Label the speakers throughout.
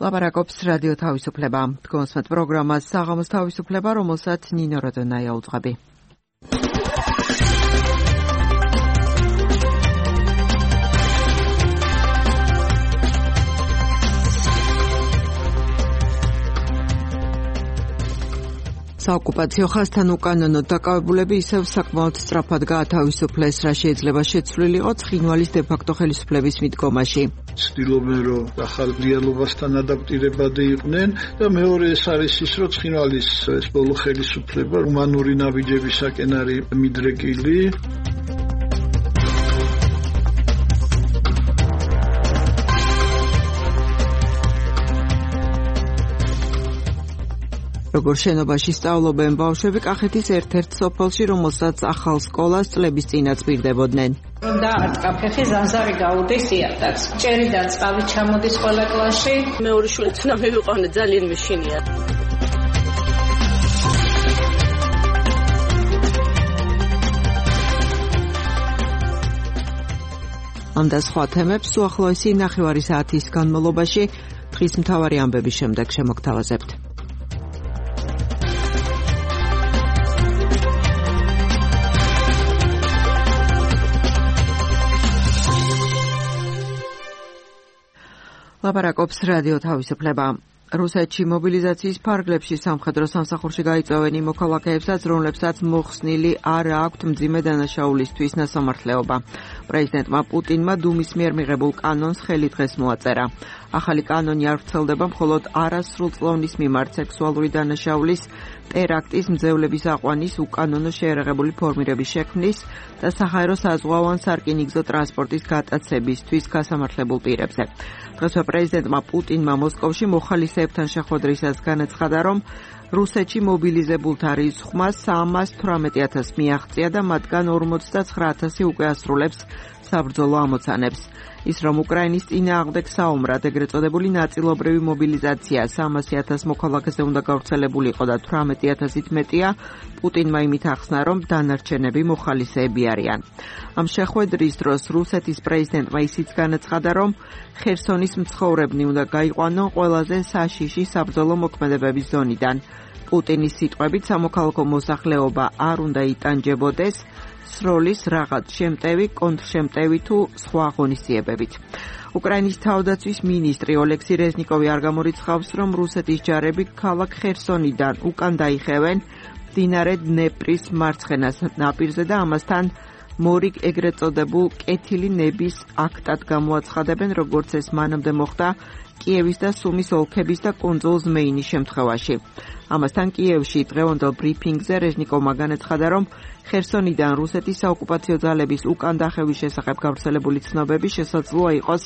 Speaker 1: ლაპარაკობს რადიო თავისუფლება. თქვენს პროგრამას საღამოს თავისუფლება, რომელსაც ნინო როდონაია უძღვები. საოკუპაციო ხაზთან უკანონოდ დაკავებულები ისევ საკმაოდ სწრაფად გაათავისუფლეს, რა შეიძლება შეცვლილი იყოს ცხინვალის დე-ფაქტო ხელისუფლების მიდგომაში.
Speaker 2: ცდილობენ, რომ ახალ რეალობასთან ადაპტირებადი იყვნენ და მეორე ეს არის ის, რომ ცხინვალის ეს ბოლო ხელისუფლება ჰუმანური ნაბიჯებისაკენ არის მიდრეკილი. როგორ შენობაში სწავლობენ ბავშვები კახეთის ერთ-ერთ სოფელში, რომელსაც ახალ სკოლას წლების წინაც პირდებოდნენ.
Speaker 3: და არტკაფეხი ზანზარი გაუდის იატაკს. ჭერიდან წყალი ჩამოდის ყველა კლასში.
Speaker 4: მეორე შვილიც უნდა მივიყვანე, ძალიან მეშინია.
Speaker 1: ამ და სხვა თემებს უახლოესი ნახევარი საათის განმავლობაში დღის მთავარი ამბების შემდეგ შემოგთავაზებთ. ლაპარაკობს რადიო თავისუფლება. რუსეთში მობილიზაციის ფარგლებში სამხედრო სამსახურში გაიწვევენ იმ მოქალაქეებსაც, რომლებსაც მოხსნილი არ აქვთ მძიმე დანაშაულისთვის ნასამართლეობა. პრეზიდენტმა პუტინმა დუმის მიერ მიღებულ კანონს ხელი დღეს მოაწერა. ახალი კანონი არ ვრცელდება მხოლოდ არასრულწლოვნის მიმართ სექსუალური დანაშაულის, ტერაქტის, მძევლების აყვანის, უკანონო შეერაღებული ფორმირების შექმნის და საჰაერო საზღვაო ან სარკინიგზო ტრანსპორტის გატაცებისთვის გასამართლებულ პირებზე. დღესვე პრეზიდენტმა პუტინმა მოსკოვში მოხალისეებთან შეხვედრისას განაცხადა, რომ რუსეთში მობილიზებულთა რიცხვმა 318,000 მიაღწია და მათგან 49,000 უკვე ასრულებს საბრძოლო ამოცანებს. ის რომ უკრაინის წინააღმდეგ საომრად ეგრეთ წოდებული ნაწილობრივი მობილიზაცია 300,000 მოქალაქეზე უნდა გავრცელებულიყო და 18,000-ით მეტია, პუტინმა იმით ახსნა, რომ დანარჩენები მოხალისეები არიან. ამ შეხვედრის დროს რუსეთის პრეზიდენტმა ისიც განაცხადა, რომ ხერსონის მცხოვრებნი უნდა გაიყვანონ ყველაზე საშიში საბრძოლო მოქმედებების ზონიდან. პუტინის სიტყვებით სამოქალაქო მოსახლეობა არ უნდა იტანჯებოდეს სროლის რაღაც შემტევი, კონტრშემტევი თუ სხვა ღონისძიებებით. უკრაინის თავდაცვის მინისტრი ოლექსი რეზნიკოვი არ გამორიცხავს, რომ რუსეთის ჯარები ქალაქ ხერსონიდან უკან დაიხევენ მდინარე დნეპრის მარცხენა ნაპირზე და ამასთან მორიგ ეგრეთ წოდებულ კეთილი ნების აქტად გამოაცხადებენ, როგორც ეს მანამდე მოხდა კიევის და სუმის ოლქების და კუნძულ ზმეინის შემთხვევაში. ამასთან კიევში დღევანდელ ბრიფინგზე რეჟნიკოვმა განაცხადა, რომ ხერსონიდან რუსეთის საოკუპაციო ძალების უკან დახევის შესახებ გავრცელებული ცნობები შესაძლოა იყოს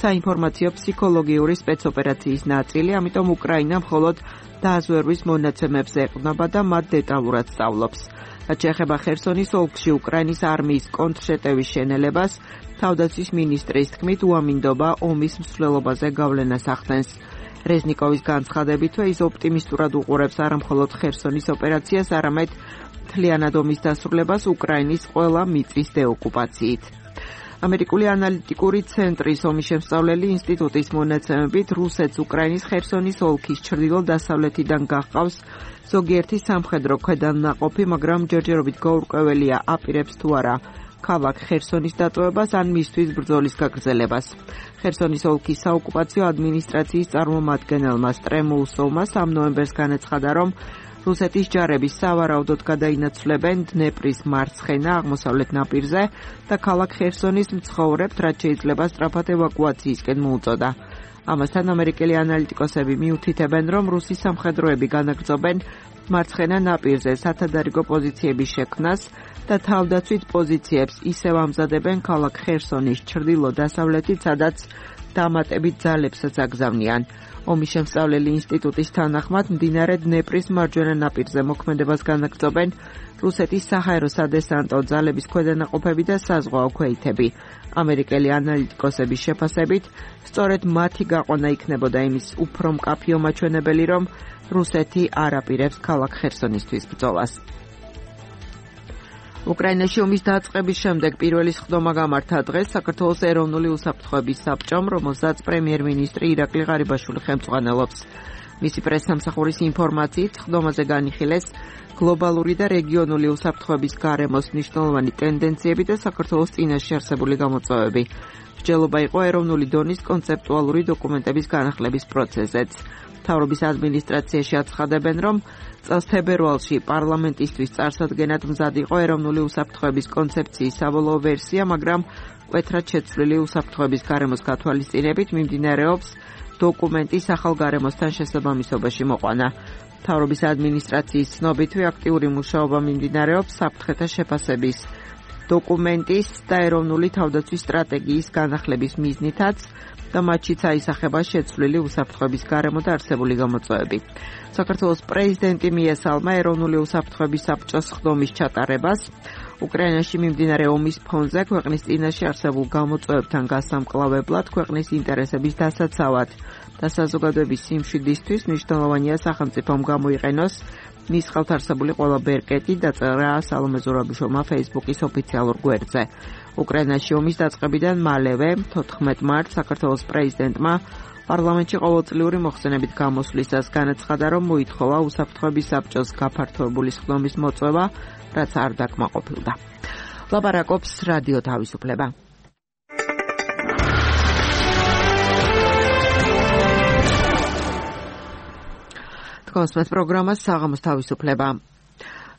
Speaker 1: საინფორმაციო ფსიქოლოგიური სპეცოპერაციის ნაწილი, ამიტომ უკრაინა მხოლოდ დაზვერვის მონაცემებს ეყრდნობა და მათ დეტალურად სწავლობს. რაც შეეხება ხერსონის ოლქში უკრაინის არმიის კონტრშეტევის შენელებას, თავდაცვის მინისტრის თქმით უამინდობა ომის მსვლელობაზე გავლენას ახდენს. რეზნიკოვის განცხადებითვე ის ოპტიმისტურად უყურებს არა მხოლოდ ხერსონის ოპერაციას, არამედ მთლიანად ომის დასრულებას უკრაინის ყველა მიწის დეოკუპაციით. ამერიკული ანალიტიკური ცენტრის ომის შემსწავლელი ინსტიტუტის მონაცემებით რუსეთს უკრაინის ხერსონის ოლქის ჩრდილო-დასავლეთიდან გაჰყავს ზოგიერთი სამხედრო ქვედანაყოფი, მაგრამ ჯერჯერობით გაურკვეველია აპირებს თუ არა ქალაქ ხერსონის დატოვებას ან მისთვის ბრძოლის გაგრძელებას. ხერსონის ოლქის საოკუპაციო ადმინისტრაციის წარმომადგენელმა სტრემოუსოვმა 3 ნოემბერს განაცხადა, რომ რუსეთის ჯარები სავარაუდოდ გადაინაცვლებენ დნეპრის მარცხენა აღმოსავლეთ ნაპირზე და ქალაქ ხერსონის მცხოვრებთ, რაც შეიძლება სწრაფად ევაკუაციისკენ მოუწოდა. ამასთან ამერიკელი ანალიტიკოსები მიუთითებენ, რომ რუსი სამხედროები განაგრძობენ მარცხენა ნაპირზე სათადარიგო პოზიციების შექმნას და თავდაცვით პოზიციებს ისევ ამზადებენ ქალაქ ხერსონის ჩრდილო-დასავლეთით, სადაც დამატებით ძალებსაც აგზავნიან. ომის შემსწავლელი ინსტიტუტის თანახმად მდინარე დნეპრის მარჯვენა ნაპირზე მოქმედებას განაგრძობენ რუსეთის საჰაერო სადესანტო ძალების ქვედანაყოფები და საზღვაო ქვეითები. ამერიკელი ანალიტიკოსების შეფასებით, სწორედ მათი გაყვანა იქნებოდა იმის უფრო მკაფიო მაჩვენებელი, რომ რუსეთი არ აპირებს ქალაქ ხერსონისთვის ბრძოლას. უკრაინაში ომის დაწყების შემდეგ პირველი სხდომა გამართა დღეს საქართველოს ეროვნული უსაფრთხოების საბჭომ, რომელსაც პრემიერ-მინისტრი ირაკლი ღარიბაშვილი ხელმძღვანელობს. მისი პრესსამსახურის ინფორმაციით, სხდომაზე განიხილეს გლობალური და რეგიონული უსაფრთხოების გარემოს მნიშვნელოვანი ტენდენციები და საქართველოს წინაშე არსებული გამოწვევები. მსჯელობა იყო ეროვნული დონის კონცეპტუალური დოკუმენტების განახლების პროცესზეც. მთავრობის ადმინისტრაციაში აცხადებენ, რომ წელს თებერვალში პარლამენტისთვის წარსადგენად მზად იყო ეროვნული უსაფრთხოების კონცეფციის საბოლოო ვერსია, მაგრამ მკვეთრად შეცვლილი უსაფრთხოების გარემოს გათვალისწინებით მიმდინარეობს დოკუმენტის ახალ გარემოსთან შესაბამისობაში მოყვანა. მთავრობის ადმინისტრაციის ცნობითვე აქტიური მუშაობა მიმდინარეობს საფრთხეთა შეფასების დოკუმენტის და ეროვნული თავდაცვის სტრატეგიის განახლების მიზნითაც და მათშიც აისახება შეცვლილი უსაფრთხოების გარემო და არსებული გამოწვევები. საქართველოს პრეზიდენტი მიესალმა ეროვნული უსაფრთხოების საბჭოს სხდომის ჩატარებას. უკრაინაში მიმდინარე ომის ფონზე ქვეყნის წინაშე არსებულ გამოწვევებთან გასამკლავებლად ქვეყნის ინტერესების დასაცავად და საზოგადოების სიმშვიდისთვის მნიშვნელოვანია სახელმწიფომ გამოიყენოს მის ხელთ არსებული ყველა ბერკეტი, დაწერა სალომე ზურაბიშოვმა Facebook-ის ოფიციალურ გვერდზე. უკრაინაში ომის დაწყებიდან მალევე 14 მარტს საქართველოს პრეზიდენტმა პარლამენტში ყოველწლიური მოხსენებით გამოსვლისას განაცხადა, რომ მოითხოვა უსაფრთხოების საბჭოს გაფართოებული სხდომის მოწვევა, რაც არ დაკმაყოფილდა. ლაპარაკობს რადიო თავისუფლება. კონსმეთ პროგრამას საღამოს თავისუფლება.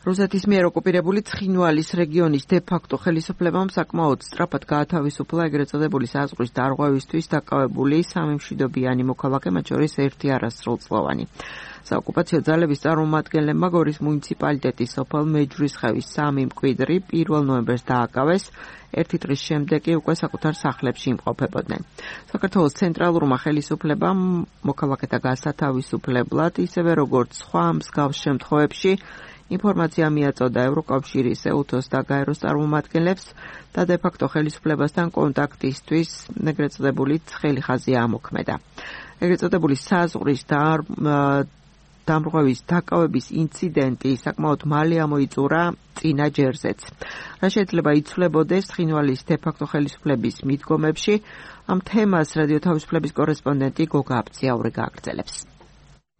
Speaker 1: რუსეთის მიერ ოკუპირებული ცხინვალის რეგიონის დე-ფაქტო ხელისუფლებამ საკმაოდ სწრაფად გაათავისუფლა ეგრეთ წოდებული საზღვრის დარღვევისთვის დაკავებული 3 მშვიდობიანი მოქალაქე, მათ შორის 1 არასრულწლოვანი. საოკუპაციო ძალების წარმომადგენლებმა გორის მუნიციპალიტეტის სოფელ მეჯვრისხევის 3 მკვიდრი 1 ნოემბერს დააკავეს, 1 დღის შემდეგ კი უკვე საკუთარ სახლებში იმყოფებოდნენ. საქართველოს ცენტრალურმა ხელისუფლებამ მოქალაქეთა გასათავისუფლებლად, ისევე როგორც სხვა მსგავს შემთხვევებში, ინფორმაცია მიაწოდა ევროკავშირის, EUTOS და გაეროს წარმომადგენლებს და დე-ფაქტო ხელისუფლებასთან კონტაქტისთვის ეგრეთ წოდებული ცხელი ხაზი ამოქმედა. ეგრეთ წოდებული საზღვრის დამრღვევის დაკავების ინციდენტი საკმაოდ მალე ამოიწურა წინა ჯერზეც. რა შეიძლება იცვლებოდეს ცხინვალის დე-ფაქტო ხელისუფლების მიდგომებში, ამ თემას რადიო თავისუფლების კორესპონდენტი გოგა აბწიაური გააგრძელებს.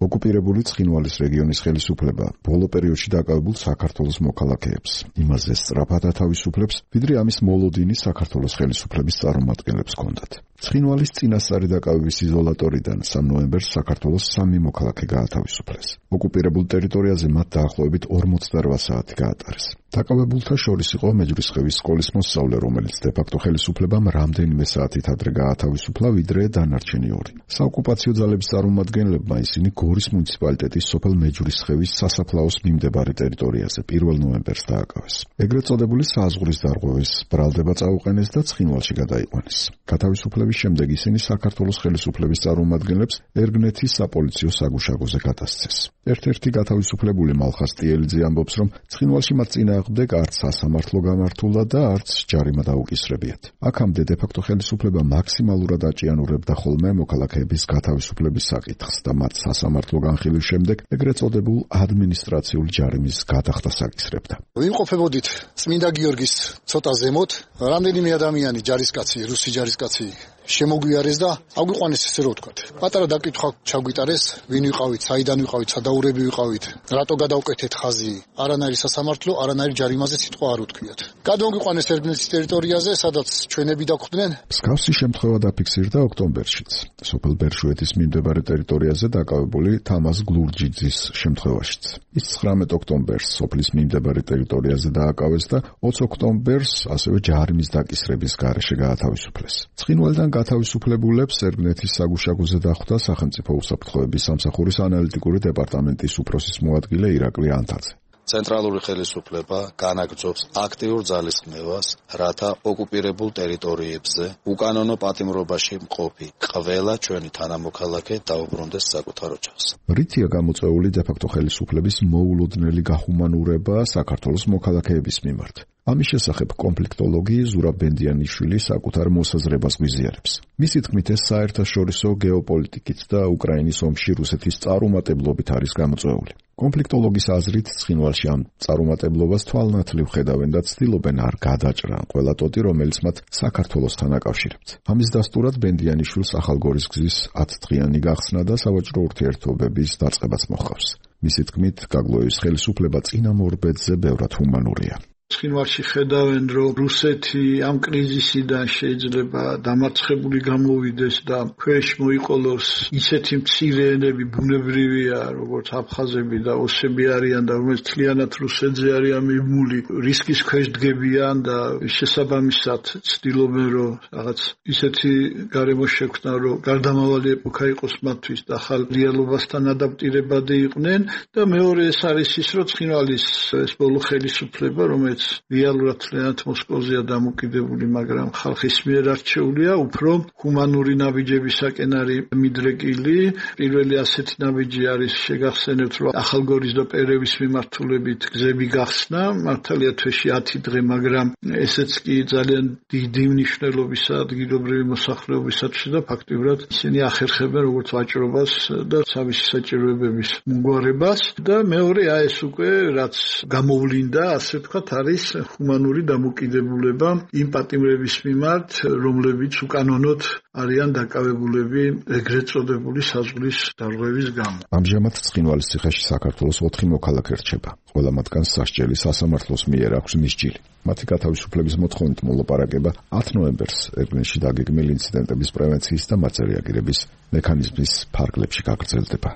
Speaker 5: ოკუპირებული ცხინვალის რეგიონის ხელისუფლება ბოლო პერიოდში დაკავებულ საქართველოს მოქალაქეებს იმაზე სწრაფად ათავისუფლებს, ვიდრე ამის მოლოდინი საქართველოს ხელისუფლების წარმომადგენლებს ჰქონდათ. ცხინვალის წინასწარი დაკავების იზოლატორიდან 3 ნოემბერს საქართველოს 3 მოქალაქე გაათავისუფლეს. ოკუპირებულ ტერიტორიაზე მათ დაახლოებით 48 საათი გაატარეს. დაკავებულთა შორის იყო მეჯვრისხევის სკოლის მოსწავლე, რომელიც დე-ფაქტო ხელისუფლებამ რამდენიმე საათით ადრე გაათავისუფლა, ვიდრე დანარჩენი 2. საოკუპაციო ძალების წარმომადგენლებმა ისინი გორის მუნიციპალიტეტის სოფელ მეჯვრისხევის სასაფლაოს მიმდებარე ტერიტორიაზე 1 ნოემბერს დააკავეს. ეგრეთ წოდებული საზღვრის დარღვევის ბრალდება წაუყენეს და ცხინვალში გადაიყვანეს. გათავისუფლების შემდეგ ისინი საქართველოს ხელისუფლების წარმომადგენლებს ერგნეთის საპოლიციო საგუშაგოზე გადასცეს. ერთ-ერთი გათავისუფლებული მალხას ტიელიძე ამბობს, რომ ცხინვალში მათ წინააღმდეგ არც სასამართლო გამართულა და არც ჯარიმა დაუკისრებიათ. აქამდე დე-ფაქტო ხელისუფლება მაქსიმალურად აჭიანურებდა ხოლმე მოქალაქეების გათავისუფლების საკითხს და მათ სასამართლო განხილვის შემდეგ ეგრეთ წოდებულ ადმინისტრაციული ჯარიმის გადახდას აკისრებდა.
Speaker 6: ვიმყოფებოდით წმინდა გიორგის ცოტა ზემოთ, რამდენიმე ადამიანი ჯარისკაცი, რუსი ჯარისკაცი შემოგვიარეს და აგვიყვანეს, ესე რომ ვთქვათ. პატარა დაკითხვა ჩაგვიტარეს, ვინ ვიყავით, საიდან ვიყავით, სადაურები ვიყავით, რატო გადავკეთეთ ხაზი, არანაირი სასამართლო, არანაირი ჯარიმაზე სიტყვა არ უთქვიათ. გადმოგვიყვანეს ერგნეთის ტერიტორიაზე, სადაც ჩვენები დაგვხვდნენ.
Speaker 5: მსგავსი შემთხვევა დაფიქსირდა ოქტომბერშიც. სოფელ ბერშუეთის მიმდებარე ტერიტორიაზე დაკავებული თამაზ გლურჯიძის შემთხვევაშიც. ის 19 ოქტომბერს სოფლის მიმდებარე ტერიტორიაზე დააკავეს და 20 ოქტომბერს ასევე ჯარიმის დაკისრების გარეშე გაათავისუფლეს. ცხინვალიდან გათავისუფლებულებს ერგნეთის საგუშაგოზე დახვდა სახელმწიფო უსაფრთხოების სამსახურის ანალიტიკური დეპარტამენტის უფროსის მოადგილე ირაკლი ანთაძე.
Speaker 7: ცენტრალური ხელისუფლება განაგრძობს აქტიურ ძალისხმევას, რათა ოკუპირებულ ტერიტორიებზე უკანონო პატიმრობაში მყოფი ყველა ჩვენი თანამოქალაქე დაუბრუნდეს საკუთარ ოჯახს.
Speaker 5: რითია გამოწვეული დე-ფაქტო ხელისუფლების მოულოდნელი გახუმანურება საქართველოს მოქალაქეების მიმართ. ამის შესახებ კონფლიქტოლოგი ზურაბ ბენდიანიშვილი საკუთარ მოსაზრებას გვიზიარებს. მისი თქმით, ეს საერთაშორისო გეოპოლიტიკით და უკრაინის ომში რუსეთის წარუმატებლობით არის გამოწვეული. კონფლიქტოლოგის აზრით, ცხინვალში ამ წარუმატებლობას თვალნათლივ ხედავენ და ცდილობენ არ გადაჭრან ყველა ტოტი, რომელიც მათ საქართველოსთან აკავშირებთ. ამის დასტურად ბენდიანიშვილს ახალგორის გზის 10 დღიანი გახსნა და სავაჭრო ურთიერთობების დაწყებაც მოჰყავს. მისი თქმით, გაგლოევის ხელისუფლება წინამორბედზე ბევრად ჰუმანურია.
Speaker 2: ცხინვალში ხედავენ, რომ რუსეთი ამ კრიზისიდან შეიძლება დამარცხებული გამოვიდეს და ქვეშ მოიყოლოს ისეთი მცირე ენები ბუნებრივია, როგორც აფხაზები და ოსები არიან და რომელიც მთლიანად რუსეთზე არიან მიბმული, რისკის ქვეშ დგებიან და შესაბამისად ცდილობენ, რომ რაღაც ისეთი გარემო შექმნან, რომ გარდამავალი ეპოქა იყოს მათთვის და ახალ რეალობასთან ადაპტირებადი იყვნენ და მეორე ეს არის ის, რომ ცხინვალის ეს ბოლო ხელისუფლება, რომელიც რეალურად მთლიანად მოსკოვზეა დამოკიდებული, მაგრამ ხალხის მიერ არჩეულია, უფრო ჰუმანური ნაბიჯებისაკენ არის მიდრეკილი. პირველი ასეთი ნაბიჯი არის შეგახსენებთ, რომ ახალგორის და პერევის მიმართულებით გზები გახსნა, მართალია თვეში 10 დღე, მაგრამ ესეც კი ძალიან დიდი მნიშვნელობისა ადგილობრივი მოსახლეობისათვის და ფაქტიურად ისინი ახერხებენ როგორც ვაჭრობას და თავისი საჭიროებების მომგვარებას და მეორე ეს უკვე რაც გამოვლინდა, ასე ვთქვათ, არის ჰუმანური დამოკიდებულება იმ პატიმრების მიმართ, რომლებიც უკანონოდ არიან დაკავებულები ეგრეთ წოდებული საზღვრის დარღვევის გამო.
Speaker 5: ამჟამად ცხინვალის ციხეში საქართველოს 4 მოქალაქე რჩება. ყველა მათგანს სასჯელი სასამართლოს მიერ აქვს მისჯილი. მათი გათავისუფლების მოთხოვნით მოლაპარაკება 10 ნოემბერს ერგენში დაგეგმილ ინციდენტების პრევენციის და მაწერი აგირების მექანიზმის ფარგლებში გაგრძელდება.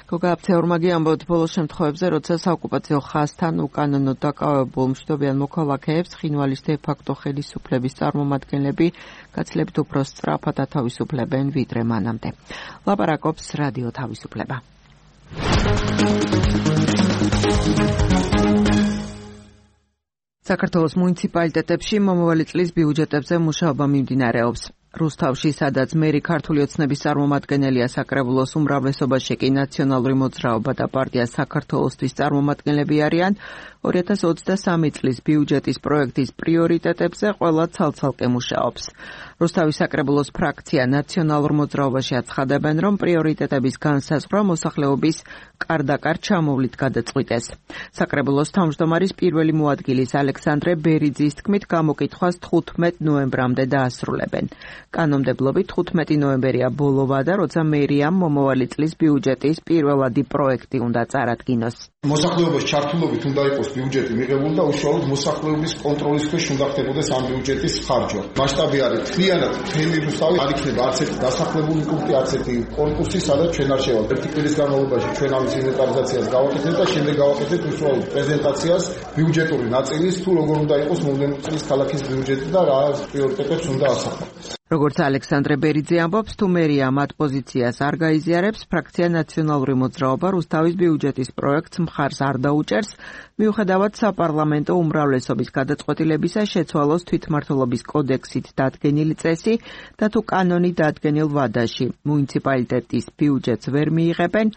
Speaker 1: გოგაფცეორმაგი ამბობთ ბოლოს შემთხვევებზე, როცა საოკუპაციო ხაზთან უკანონოდ დაკავებულ მშვიდობიან მოქალაქეებს ცხინვალის დე-ფაქტო ხელისუფლების წარმომადგენლები გაცილებით უფრო სწრაფად ათავისუფლებენ ვიდრე მანამდე. ლაპარაკობს რადიო თავისუფლება. საქართველოს მუნიციპალიტეტებში მომავალი წლის ბიუჯეტებზე მუშაობა მიმდინარეობს. რუსთავში, სადაც მერი ქართული ოცნების წარმომადგენელია საკრებულოს უმრავლესობაში კი ნაციონალური მოძრაობა და პარტია საქართველოსთვის წარმომადგენლები არიან, 2023 წლის ბიუჯეტის პროექტის პრიორიტეტებზე ყველა ცალ-ცალკე მუშაობს. რუსთავის საკრებულოს ფრაქცია ნაციონალურ მოძრაობაში აცხადებენ, რომ პრიორიტეტების განსაზღვრა მოსახლეობის კარდაკარ ჩამოვლით გადაწყვიტეს. საკრებულოს თავმჯდომარის პირველი მოადგილის ალექსანდრე ბერიძის თქმით, გამოკითხვას 15 ნოემბრამდე დაასრულებენ. კანონმდებლობით 15 ნოემბერია ბოლოვა და როცა მერიამ მომავალი წლის ბიუჯეტის პირველადი პროექტი უნდა წარადგინოს.
Speaker 8: მოსახლეობის ჩართულობით უნდა იყოს ბიუჯეტი მიღებული და უშუალოდ მოსახლეობის კონტროლის ქვეშ უნდა ხდებოდეს ამ ბიუჯეტის ხარჯვა. მასშტაბი არის მთლიანად მთელი რუსთავი, არ იქნება არც ერთი დასახლებული პუნქტი, არც ერთი კონკურსი, სადაც ჩვენ არ შევალთ. ერთი კვირის განმავლობაში ჩვენ ამის ინვენტარიზაციას გავაკეთებთ და შემდეგ გავაკეთებთ უშუალოდ პრეზენტაციას ბიუჯეტური ნაწილის, თუ როგორ უნდა იყოს მომდევნო წლის ქალაქის ბიუჯეტი და რა პრიორიტეტებს უნდა ასახოს.
Speaker 1: როგორც ალექსანდრე ბერიძე ამბობს, თუ მერია მათ პოზიციას არ გაიზიარებს, ფრაქცია ნაციონალური მოძრაობა რუსთავის ბიუჯეტის პროექტს მხარს არ დაუჭერს, მიუხედავად საპარლამენტო უმრავლესობის გადაწყვეტილებისა შეცვალოს თვითმმართველობის კოდექსით დადგენილი წესი და თუ კანონი დადგენილ ვადაში მუნიციპალიტეტის ბიუჯეტს ვერ მიიღებენ,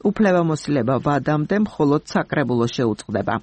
Speaker 1: უფლებამოსილება ვადამდე მხოლოდ საკრებულოს შეუწყდება.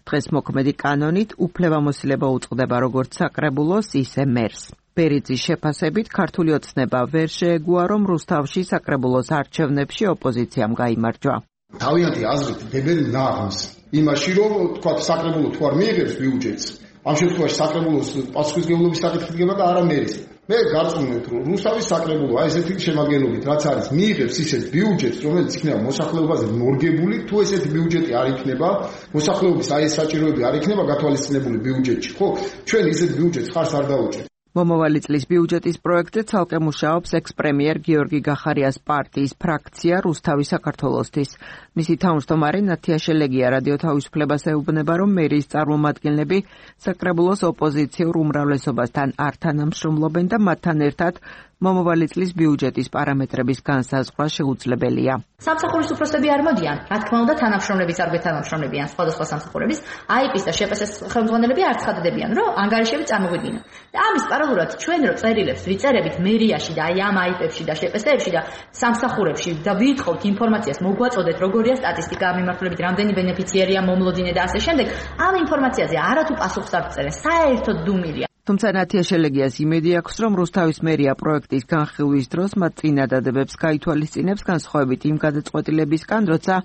Speaker 1: დღეს მოქმედი კანონით უფლებამოსილება უწყდება როგორც საკრებულოს, ისე მერს. ბერიძის შეფასებით ქართული ოცნება ვერ შეეგუა, რომ რუსთავში საკრებულოს არჩევნებში ოპოზიციამ გაიმარჯვა.
Speaker 8: თავიანთი აზრით დებენ ნაღმს იმაში, რომ თქვა საკრებულო თუ არ მიიღებს ბიუჯეტს, ამ შემთხვევაში საკრებულოს პასუხისმგებლობის საკითხი დგება და არა მერის. მე გარწმუნებთ, რომ რუსთავის საკრებულო აი ესეთი შემადგენლობით რაც არის, მიიღებს ისეთ ბიუჯეტს, რომელიც იქნება მოსახლეობაზე მორგებული, თუ ესეთი ბიუჯეტი არ იქნება, მოსახლეობის აი ეს საჭიროები არ იქნება გათვალისწინებული ბიუჯეტში. ხო, ჩვენ ისეთ ბიუჯეტს ხარს არ დავუჭერთ.
Speaker 1: მომავალი წლის ბიუჯეტის პროექტზე ცალკე მუშაობს ექს-პრემიერ გიორგი გახარიას პარტიის ფრაქცია რუსთავი საქართველოსთვის. მისი თავმჯდომარე ნათია შელეგია რადიო თავისუფლებას ეუბნება, რომ მერიის წარმომადგენლები საკრებულოს ოპოზიციურ უმრავლესობასთან არ თანამშრომლობენ და მათთან ერთად მომავალი წლის ბიუჯეტის პარამეტრების განსაზღვრა შეუძლებელია.
Speaker 9: სამსახურის უფროსები არ მოდიან, რა თქმა უნდა, თანამშრომლების არ გეთანამშრომლებიან სხვადასხვა სამსახურების, აიპის და შპს-ის ხელმძღვანელები არ ცხადდებიან, რომ ანგარიშები წარმოგვიდგინონ. და ამის პარალელურად ჩვენ რო წერილებს ვიწერებით მერიაში და აი ამ აიპებში და შპს-ებში და სამსახურებში და ვითხოვთ ინფორმაციას, მოგვაწოდეთ როგორია სტატისტიკა მიმართულებით, რამდენი ბენეფიციარია მომლოდინე და ასე შემდეგ, ამ ინფორმაციაზე არათუ პასუხს არ წერენ, საერთოდ დუმილია.
Speaker 1: თუმცა ნათია შელეგიას იმედი აქვს, რომ რუსთავის მერია პროექტის განხილვის დროს მათ წინადადებებს გაითვალისწინებს განსხვავებით იმ გადაწყვეტილებისგან, როცა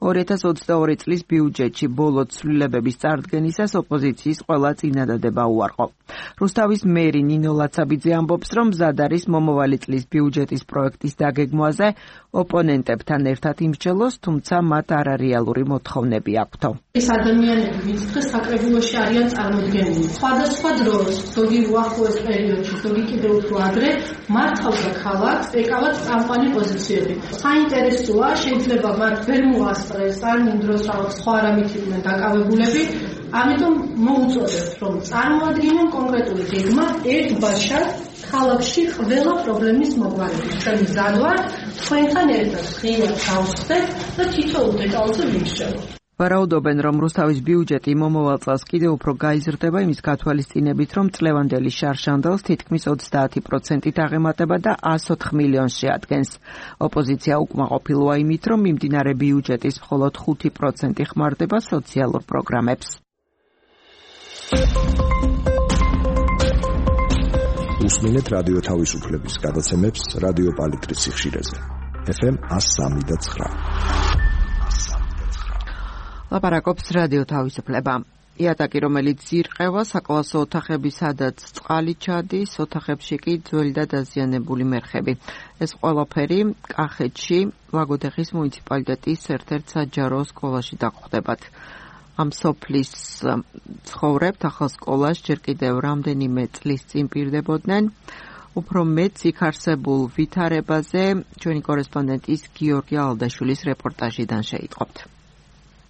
Speaker 1: 2022 წლის ბიუჯეტში ბოლო ცვლილებების წარდგენისას ოპოზიციის ყველა წინადადება უარყო. რუსთავის მერი ნინო ლაცაბიძე ამბობს, რომ მზად არის მომავალი წლის ბიუჯეტის პროექტის დაგეგმვაზე ოპონენტებთან ერთად იმსჯელოს, თუმცა მათ არარეალური მოთხოვნები აქვთო.
Speaker 10: ეს ადამიანები, ვინც დღეს საკრებულოში არიან წარმოდგენილი, სხვადასხვა დროს ზოგი უახლოეს პერიოდში, ზოგი კიდევ უფრო ადრე, მართავდა ქალაქს, ეკავათ წამყვანი პოზიციები. საინტერესოა, შეიძლება მათ ვერ მოასწრეს, ან იმ დროს რაღაც სხვა რამით იყვნენ დაკავებულები, ამიტომ მოუწოდეთ, რომ წარმოადგინონ კონკრეტული გეგმა ერთბაშად ქალაქში ყველა პრობლემის მოგვარებით. ჩვენ მზად ვართ, თქვენთან ერთად ხშირად გავხსნით და თითოეულ დეტალზე ვიმსჯელოთ.
Speaker 1: ვარაუდობენ, რომ რუსთავის ბიუჯეტი მომავალ წელს კიდევ უფრო გაიზრდება იმის გათვალისწინებით, რომ წლევანდელი შარშანდელს თითქმის 30%-ით აღემატება და 104 მილიონს შეადგენს. ოპოზიცია უკმაყოფილოა იმით, რომ მიმდინარე ბიუჯეტის მხოლოდ 5% ხმარდება სოციალურ პროგრამებს.
Speaker 5: უსმინეთ რადიო თავისუფლების გადაცემებს რადიო პალიტრის სიხშირეზე. FM 103.9.
Speaker 1: ლაპარაკობს რადიო თავისუფლება. იატაკი, რომელიც ირყევა საკლასო ოთახები, სადაც წყალი ჩადის, ოთახებში კი ძველი და დაზიანებული მერხები. ეს ყველაფერი კახეთში ლაგოდეხის მუნიციპალიტეტის ერთ-ერთ საჯარო სკოლაში დაგვხდებათ. ამ სოფლის ცხოვრებთ ახალ სკოლას ჯერ კიდევ რამდენიმე წლის წინ პირდებოდნენ. უფრო მეც იქ არსებულ ვითარებაზე ჩვენი კორესპონდენტის გიორგი ალდაშვილის რეპორტაჟიდან შეიტყობთ.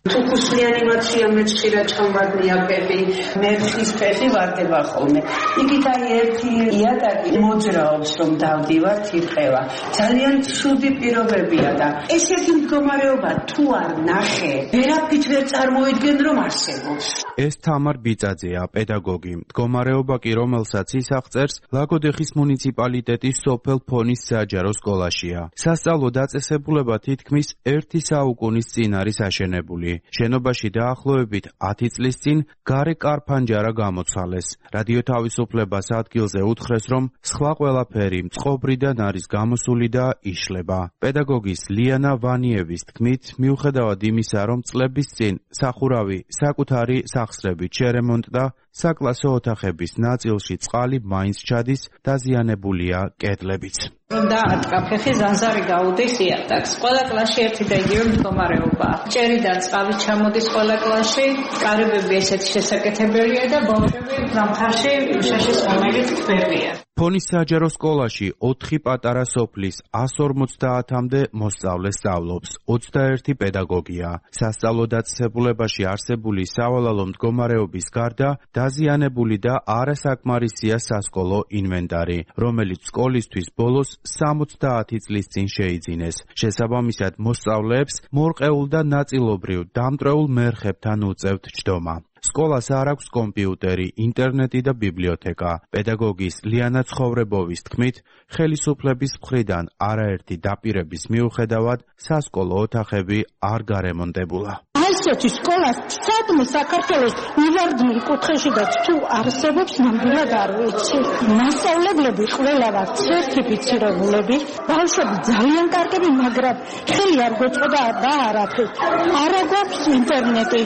Speaker 11: თუკუსლიანი მაცია მეცხრა ჩამბადნია პეპი მერხის ფეხი ვარდება ხოლმე. იქით აი ერთი იატაკი მოძრაობს რომ დავდივართ ირყევა. ძალიან ცუდი პირობებია და ესეთი მდგომარეობა თუ არ ნახე, ვერაფრით ვერ წარმოიდგენ რომ არსებობს.
Speaker 12: ეს თამარ ბიწაძეა, პედაგოგი. მდგომარეობა კი რომელსაც ის აღწერს, ლაგოდეხის მუნიციპალიტეტის სოფელ ფონის საჯარო სკოლაშია. სასწავლო დაწესებულება თითქმის 1 საუკუნის წინ არის აშენებული. შენობაში დაახლოებით 10 წლის წინ გარე კარფანჯარა გამოცვალეს. რადიო თავისუფლებას ადგილზე უთხრეს, რომ სხვა ყველაფერი მწყობრიდან არის გამოსული და იშლება. პედაგოგის ლიანა ვანიევის თქმით, მიუხედავად იმისა, რომ წლების წინ სახურავი საკუთარი სახსრებით შერემონტდა, საკლასო ოთახების ნაწილში წყალი მაინც ჩადის, დაზიანებულია კედლებიც.
Speaker 3: რომ დაატკა ფეხი ზანზარი გაუდის იატაკს. ყველა კლასში ერთი და იგივე მდგომარეობაა. ჭერიდან წყალი ჩამოდის ყველა კლასში, კარებები ესეთი შესაკეთებელია და ბავშვები ზამთარში შაშის მომელით თბებიან.
Speaker 12: ფონის საჯარო სკოლაში 4 პატარა სოფლის 150-მდე მოსწავლე სწავლობს, 21 პედაგოგია. სასწავლო დაწესებულებაში არსებული სავალალო მდგომარეობის გარდა დაზიანებული და არასაკმარისია სასკოლო ინვენტარი, რომელიც სკოლისთვის ბოლოს 70 წლის წინ შეიძინეს. შესაბამისად, მოსწავლეებს მორყეულ და ნაწილობრივ დამტრეულ მერხებთან უწევთ ჯდომა. სკოლას არ აქვს კომპიუტერი, ინტერნეტი და ბიბლიოთეკა. პედაგოგის ლიანა ცხოვრებოვის თქმით, ხელისუფლების მხრიდან არაერთი დაპირების მიუხედავად სასკოლო ოთახები არ გარემონტებულა.
Speaker 13: ესეთი სკოლა სადმე საქართველოს მივარდნილ კუთხეში და თუ არსებობს ნამდვილად არ ვიცი. მასწავლებლები ყველა ვართ სერტიფიცირებულები, ბავშვები ძალიან კარგები, მაგრამ ხელი არ გვეწყდა და არაფრით. არა გვაქვს ინტერნეტი.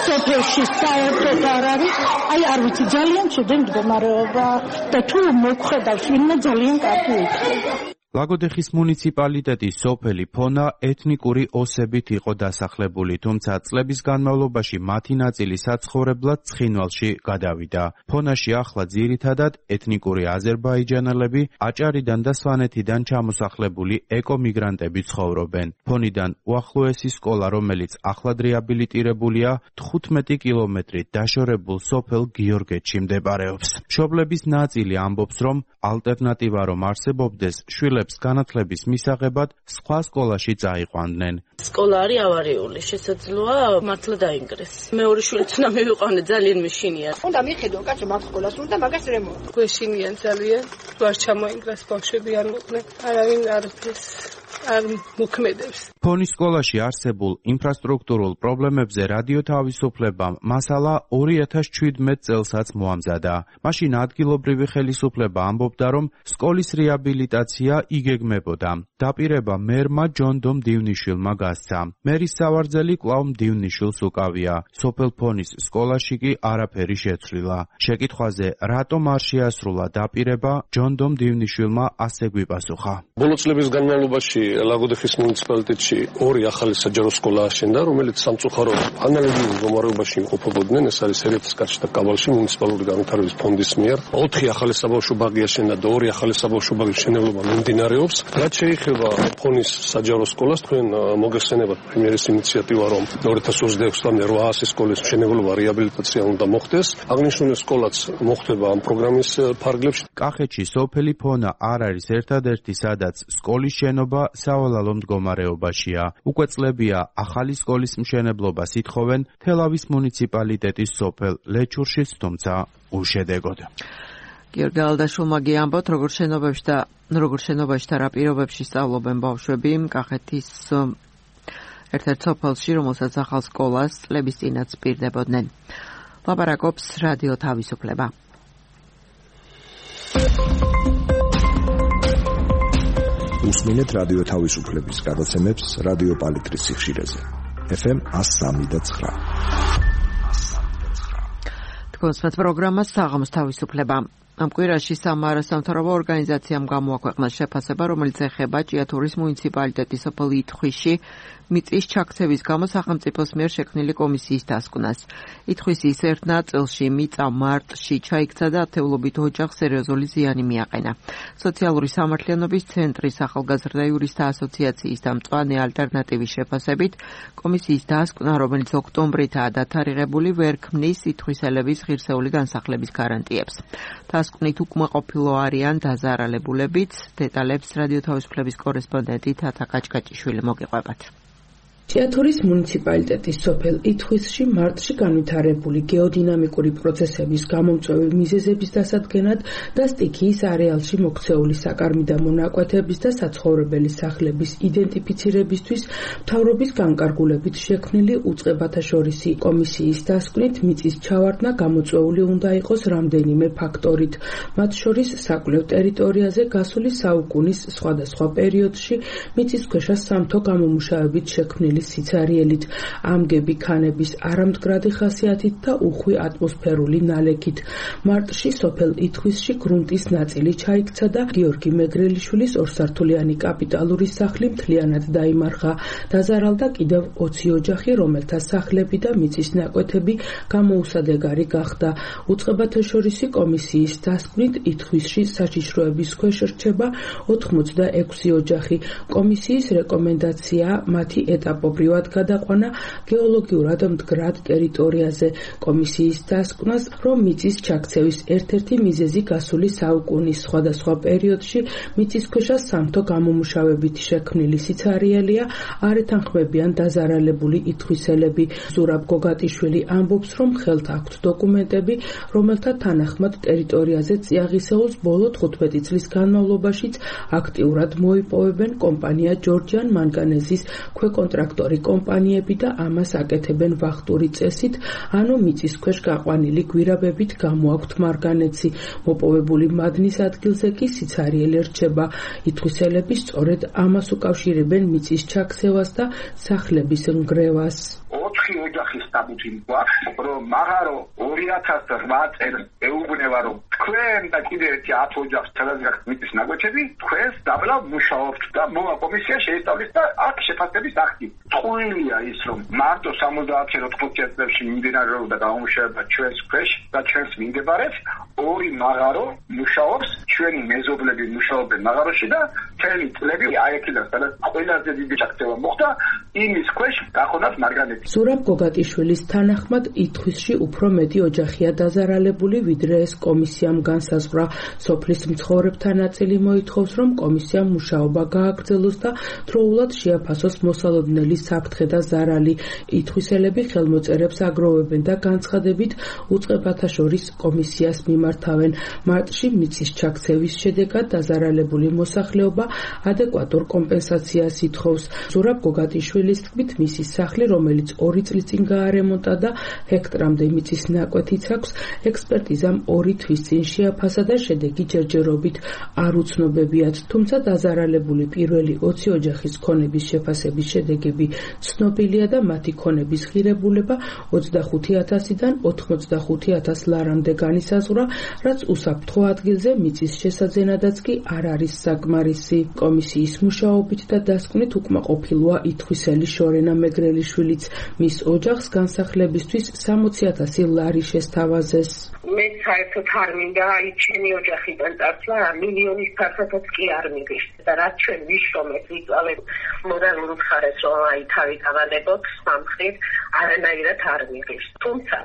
Speaker 13: სოფელში საერთოდ არ არის. აი არ ვიცი, ძალიან ცუდი მდგომარეობა და თუ მოგხედავს ვინმე ძალიან კარგი იქნება.
Speaker 12: ლაგოდეხის მუნიციპალიტეტის სოფელი ფონა ეთნიკური ოსებით იყო დასახლებული, თუმცა წლების განმავლობაში მათი ნაწილი საცხოვრებლად ცხინვალში გადავიდა. ფონაში ახლა ძირითადად ეთნიკური აზერბაიჯანელები, აჭარიდან და სვანეთიდან ჩამოსახლებული ეკომიგრანტები ცხოვრობენ. ფონიდან უახლოესი სკოლა, რომელიც ახლად რეაბილიტირებულია, 15 კილომეტრით დაშორებულ სოფელ გიორგეთში მდებარეობს. მშობლების ნაწილი ამბობს, რომ ალტერნატივა რომ არსებობდეს, შვილებს განათლების მისაღებად სხვა სკოლაში წაიყვანდნენ.
Speaker 4: სკოლა არის ავარიული, შესაძლოა მართლა დაინგრეს. მეორე შვილიც უნდა მივიყვანე, ძალიან მეშინია.
Speaker 14: უნდა მიხედო კაცო მაგ სკოლას უნდა მაგას რემონტ.
Speaker 4: გვეშინიან ძალიან. ვარ ჩამოინგრეს ბავშვები არ მოყვნენ. არავინ არაფერს არ მოქმედებს.
Speaker 12: ფონის სკოლაში არსებულ ინფრასტრუქტურულ პრობლემებზე რადიო თავისუფლებამ მასალა 2017 წელსაც მოამზადა. მაშინ ადგილობრივი ხელისუფლება ამბობდა, რომ სკოლის რეაბილიტაცია იგეგმებოდა. დაპირება მერმა ჯონდო მდივნიშვილმა გასცა. მერის სავარძელი კვლავ მდივნიშვილს უკავია. სოფელ ფონის სკოლაში კი არაფერი შეცვლილა. შეკითხვაზე, რატომ არ შეასრულა დაპირება, ჯონდო მდივნიშვილმა ასე გვიპასუხა.
Speaker 15: ბოლო წლების განმავლობაში ლაგოდეხის მუნიციპალიტეტში ორი ახალი საჯარო სკოლა აშენდა, რომელიც სამწუხაროდ ანალოგიურ მდგომარეობაში იმყოფებოდნენ. ეს არის ერეთის კაჩთა კაბალში მუნიციპალური განვითარების ფონდის მიერ 4 ახალი საბავშვო ბაღი აშენდა და 2 ახალი საბავშვო ბაღის მშენებლობა მიმდინარეობს. რაც შეეხება ფონის საჯარო სკოლას, თქვენ მოგეხსენებათ პრემიერის ინიციატივა, რომ 2026 წლამდე 800 სკოლის მშენებლობა რეაბილიტაცია უნდა მოხდეს. აღნიშნული სკოლაც მოხდება ამ პროგრამის ფარგლებში.
Speaker 12: კახეთში სოფელი ფონა არ არის ერთადერთი, სადაც სკოლის შენობა სავალალო მდგომარეობაშია. უკვე წლებია ახალი სკოლის მშენებლობას ითხოვენ თელავის მუნიციპალიტეტის სოფელ ლეჩურშიც, თუმცა უშედეგოდ.
Speaker 1: გიორგი ალდაშვილმა ამბობთ, როგორ შენობებში და რა პირობებში სწავლობენ ბავშვები კახეთის ერთ-ერთ სოფელში, რომელსაც ახალ სკოლას წლების წინაც პირდებოდნენ. ლაპარაკობს რადიო თავისუფლება.
Speaker 5: უსმინეთ რადიო თავისუფლების გადაცემებს რადიო პალიტრის სიხშირეზე. FM 103.9.
Speaker 1: თქვენს პროგრამას საღამოს თავისუფლება. ამ კვირაში სამარა სამთავრობო ორგანიზაციამ გამოაქვეყნა შეფასება, რომელიც ეხება ჭიათურის მუნიციპალიტეტის სოფელ ითხვისში მიწის ჩაქცევის გამო სახელმწიფოს მიერ შექმნილი კომისიის დასკვნას. ითხვისის ერთ ნაწილში მიწა მარტში ჩაიქცა და ათეულობით ოჯახს სერიოზული ზიანი მიაყენა. სოციალური სამართლიანობის ცენტრის ახალგაზრდა იურისტთა ასოციაციის და მწვანე ალტერნატივის შეფასებით, კომისიის დასკვნა, რომელიც ოქტომბრითაა დათარიღებული, ვერ ქმნის ითხვისელების ღირსეული განსახლების გარანტიებს. დასკვნით უკმაყოფილო არიან დაზარალებულებიც. დეტალებს რადიო თავისუფლების კორესპონდენტი თათა კაჭკაჭიშვილი მოგიყვებათ.
Speaker 16: ჭიათურის მუნიციპალიტეტის სოფელ ითხვისში მარტში განვითარებული გეოდინამიკური პროცესების გამომწვევი მიზეზების დასადგენად და სტიქიის არეალში მოქცეული საკარმი და მონაკვეთების და საცხოვრებელი სახლების იდენტიფიცირებისთვის მთავრობის განკარგულებით შექმნილი უწყებათაშორისი კომისიის დასკვნით მიწის ჩავარდნა გამოწვეული უნდა იყოს რამდენიმე ფაქტორით, მათ შორის საკვლევ ტერიტორიაზე გასული საუკუნის სხვადასხვა პერიოდში მიწისქვეშა სამთო გამომუშავებით შექმნილი სიცარიელით, ამგები ქანების არამდგრადი ხასიათით და უხვი ატმოსფერული ნალექით. მარტში სოფელ ითხვისში გრუნტის ნაწილი ჩაიქცა და გიორგი მეგრელიშვილის ორსართულიანი კაპიტალური სახლი მთლიანად დაიმარხა. დაზარალდა კიდევ 20 ოჯახი, რომელთა სახლები და მიწის ნაკვეთები გამოუსადეგარი გახდა. უწყებათაშორისი კომისიის დასკვნით ითხვისში საჩიშროების ქვეშ რჩება 86 ოჯახი. კომისიის რეკომენდაცია მათი ეტაპობრივად გადაყვანა გეოლოგიურად მდგრად ტერიტორიაზე. კომისიის დასკვნას, რომ მიწის ჩაქცევის ერთ-ერთი მიზეზი გასული საუკუნის სხვადასხვა პერიოდში მიწისქვეშა სამთო გამომუშავებით შექმნილი სიცარიელია, არ ეთანხმებიან დაზარალებული ითხვისელები. ზურაბ გოგატიშვილი ამბობს, რომ ხელთ აქვთ დოკუმენტები, რომელთა თანახმად ტერიტორიაზე წიაღისეულს ბოლო 15 წლის განმავლობაშიც აქტიურად მოიპოვებენ კომპანია ჯორჯიან მანგანეზის ქვეკონტრაქტორი კომპანიები და ამას აკეთებენ ვახტური წესით, ანუ მიწისქვეშ გაყვანილი გვირაბებით გამოაქვთ მარგანეცი. მოპოვებული მადნის ადგილზე კი სიცარიელი რჩება. ითხვისელები სწორედ ამას უკავშირებენ მიწის ჩაქცევას და სახლების ნგრევას.
Speaker 17: 4 ოჯახის სტატუტი გვაქვს, რომ მაღარო 2008 წელს ეუბნება, რომ თქვენ და კიდევ 10 ოჯახს თელევიზიას მიწის ნაკვეთები თქვენს დაბლა მუშაობთ და მოვა კომისია შეისწავლის და აქ შეფასების აქტი. ტყუილია ის, რომ მარტო 70-80 წლებში მიმდინარეობდა გამომუშავება ჩვენს ქვეშ და ჩვენს მიმდებარებს, 2 მაღარო მუშაობს, ჩვენი მეზობლები მუშაობენ მაღაროში და მთელი წლები აიქიდან სადაც ყველაზე დიდი ჩაქცევა მოხდა იმის ქვეშ გახონათ მარგანეთი.
Speaker 16: ზურაბ გოგატიშვილის თანახმად ითხვისში უფრო მეტი ოჯახია დაზარალებული, ვიდრე ეს კომისიამ განსაზღვრა. სოფლის მცხოვრებთა ნაწილი მოითხოვს, რომ კომისიამ მუშაობა გააგრძელოს და დროულად შეაფასოს მოსალოდნელი საფრთხე და ზარალი. ითხვისელები ხელმოწერებს აგროვებენ და განცხადებით უწყებათა შორის კომისიას მიმართავენ. მარტში მიწის ჩაქცევის შედეგად დაზარალებული მოსახლეობა ადეკვატურ კომპენსაციას ითხოვს. ზურაბ გოგატიშვილის თქმით, მისი სახლი, რომელიც 2 წლის წინ გაარემონტა და ჰექტრამდე მიწის ნაკვეთიც აქვს, ექსპერტიზამ 2 თვის წინ შეაფასა და შედეგი ჯერჯერობით არ უცნობებიათ. თუმცა დაზარალებული პირველი 20 ოჯახის ქონების შეფასების შედეგები ცნობილია და მათი ქონების ღირებულება 25,000-დან 85,000 ლარამდე განისაზღვრა, რაც უსაფრთხო ადგილზე მიწის შესაძენადაც კი არ არის საკმარისი. კომისიის მუშაობით და დასკვნით უკმაყოფილოა ითხვისელი შორენა მეგრელიშვილიც. მის ოჯახს განსახლებისთვის 60,000 ლარი შესთავაზეს.
Speaker 11: მე საერთოდ არ მინდა აი ჩემი ოჯახიდან წარსვლა მილიონის ფართობაც კი არ მიგიშ და რაც ჩვენ ვიშრომეთ ვიწვალეთ მორალურ მხარეს რომ აი თავი გავანებოთ სამხრეთ არანაირად არ მიგიშ. თუმცა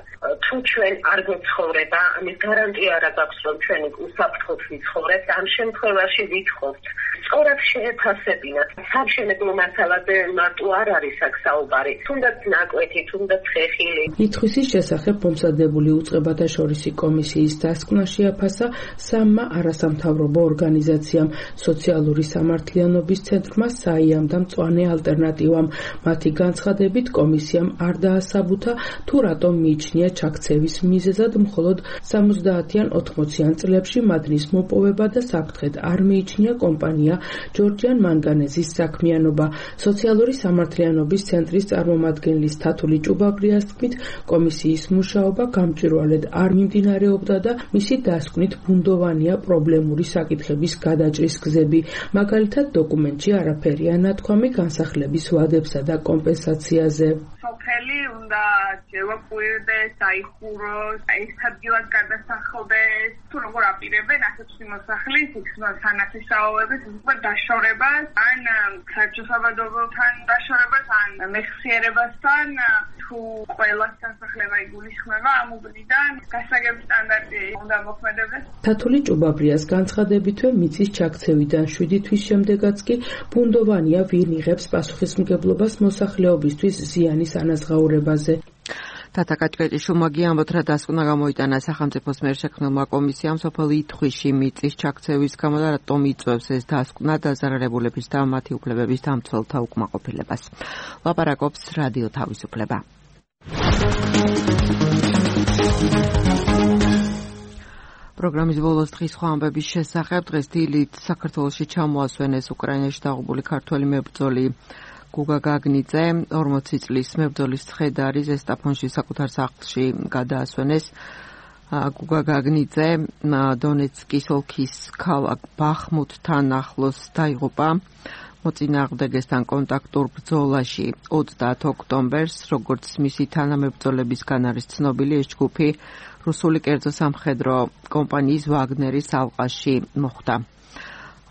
Speaker 11: თუ ჩვენ არ გვცხოვრება ამის გარანტია არ აქვს რომ ჩვენ უსაფრთხოდ ვიცხოვრებთ, ამ შემთხვევაში ვითხოვთ სწორად შეეფასებინათ. სამშენებლო მასალაზე მარტო არ არის აქ საუბარი, თუნდაც ნაკვეთი, თუნდაც ხეხილი.
Speaker 16: ითხვისის შესახებ მომზადებული უწყებათა შორისი კომისიის დასკვნა შეაფასა 3 არასამთავრობო ორგანიზაციამ, სოციალური სამართლიანობის ცენტრმა, საიამ და მწვანე ალტერნატივამ. მათი განცხადებით კომისიამ არ დაასაბუთა თუ რატომ მიიჩნია ჩაქცევის მიზეზად მხოლოდ 70-ან 80-ან წლებში მადნის მოპოვება და საფრთხედ არ მიიჩნია კომპანია ჯორჯიან მანგანეზის საქმიანობა. სოციალური სამართლიანობის ცენტრის წარმომადგენლის თათული ჭუბაბრიას თქმით, კომისიის მუშაობა გამჭვირვალედ არ მიმდინარეობდა და მისი დასკვნით ბუნდოვანია პრობლემური საკითხების გადაჭრის გზები. მაგალითად, დოკუმენტში არაფერია ნათქვამი განსახლების ვადებსა და კომპენსაციაზე.
Speaker 18: სოფელი უნდა შევაკვირდეს, დაიხუროს, ეს ადგილად გადასახლდეს, თუ როგორ აპირებენ ასეთ მოსახლის სანათესაობების უკვე დაშორებას, ან საერთაშორისობრივთან დაშორებას, ან მეხსიერებასთან, თუ ყველა სასახლება იგულისხმება ამ უბნიდან, გასაგები სტანდარტი უნდა მოქმედებდეს.
Speaker 16: თათული ჭუბაბრიას განცხადებითვე მიწის ჩაქცევიდან 7 თვის შემდეგაც კი ბუნდოვანია ვინ იღებს პასუხისმგებლობას მოსახლეობისთვის ზიანის ანაზღაურებაზე.
Speaker 1: თათა კაჭკაჭიშვილმა გიამბოთ, რა დასკვნა გამოიტანა სახელმწიფოს მიერ შექმნილმა კომისიამ სოფელ ითხვისში მიწის ჩაქცევის გამო და რატომ იწვევს ეს დასკვნა დაზარალებულების და მათი უფლებების დამცველთა უკმაყოფილებას. ლაპარაკობს რადიო თავისუფლება. პროგრამის ბოლოს დღის სხვა ამბების შესახებ დღეს დილით საქართველოში ჩამოასვენეს უკრაინაში დაღუპული ქართველი მებრძოლი გუგა გაგნიძე. 40 წლის მებრძოლის ცხედარი ზესტაფონში საკუთარ სახლში გადაასვენეს. გუგა გაგნიძე დონეცკის ოლქის ქალაქ ბახმუთთან ახლოს დაიღუპა მოწინააღმდეგესთან კონტაქტურ ბრძოლაში 30 ოქტომბერს, როგორც მისი თანამებრძოლებისგან არის ცნობილი, ეს ჯგუფი რუსული კერძო სამხედრო კომპანიის ვაგნერის ალყაში მოხვდა.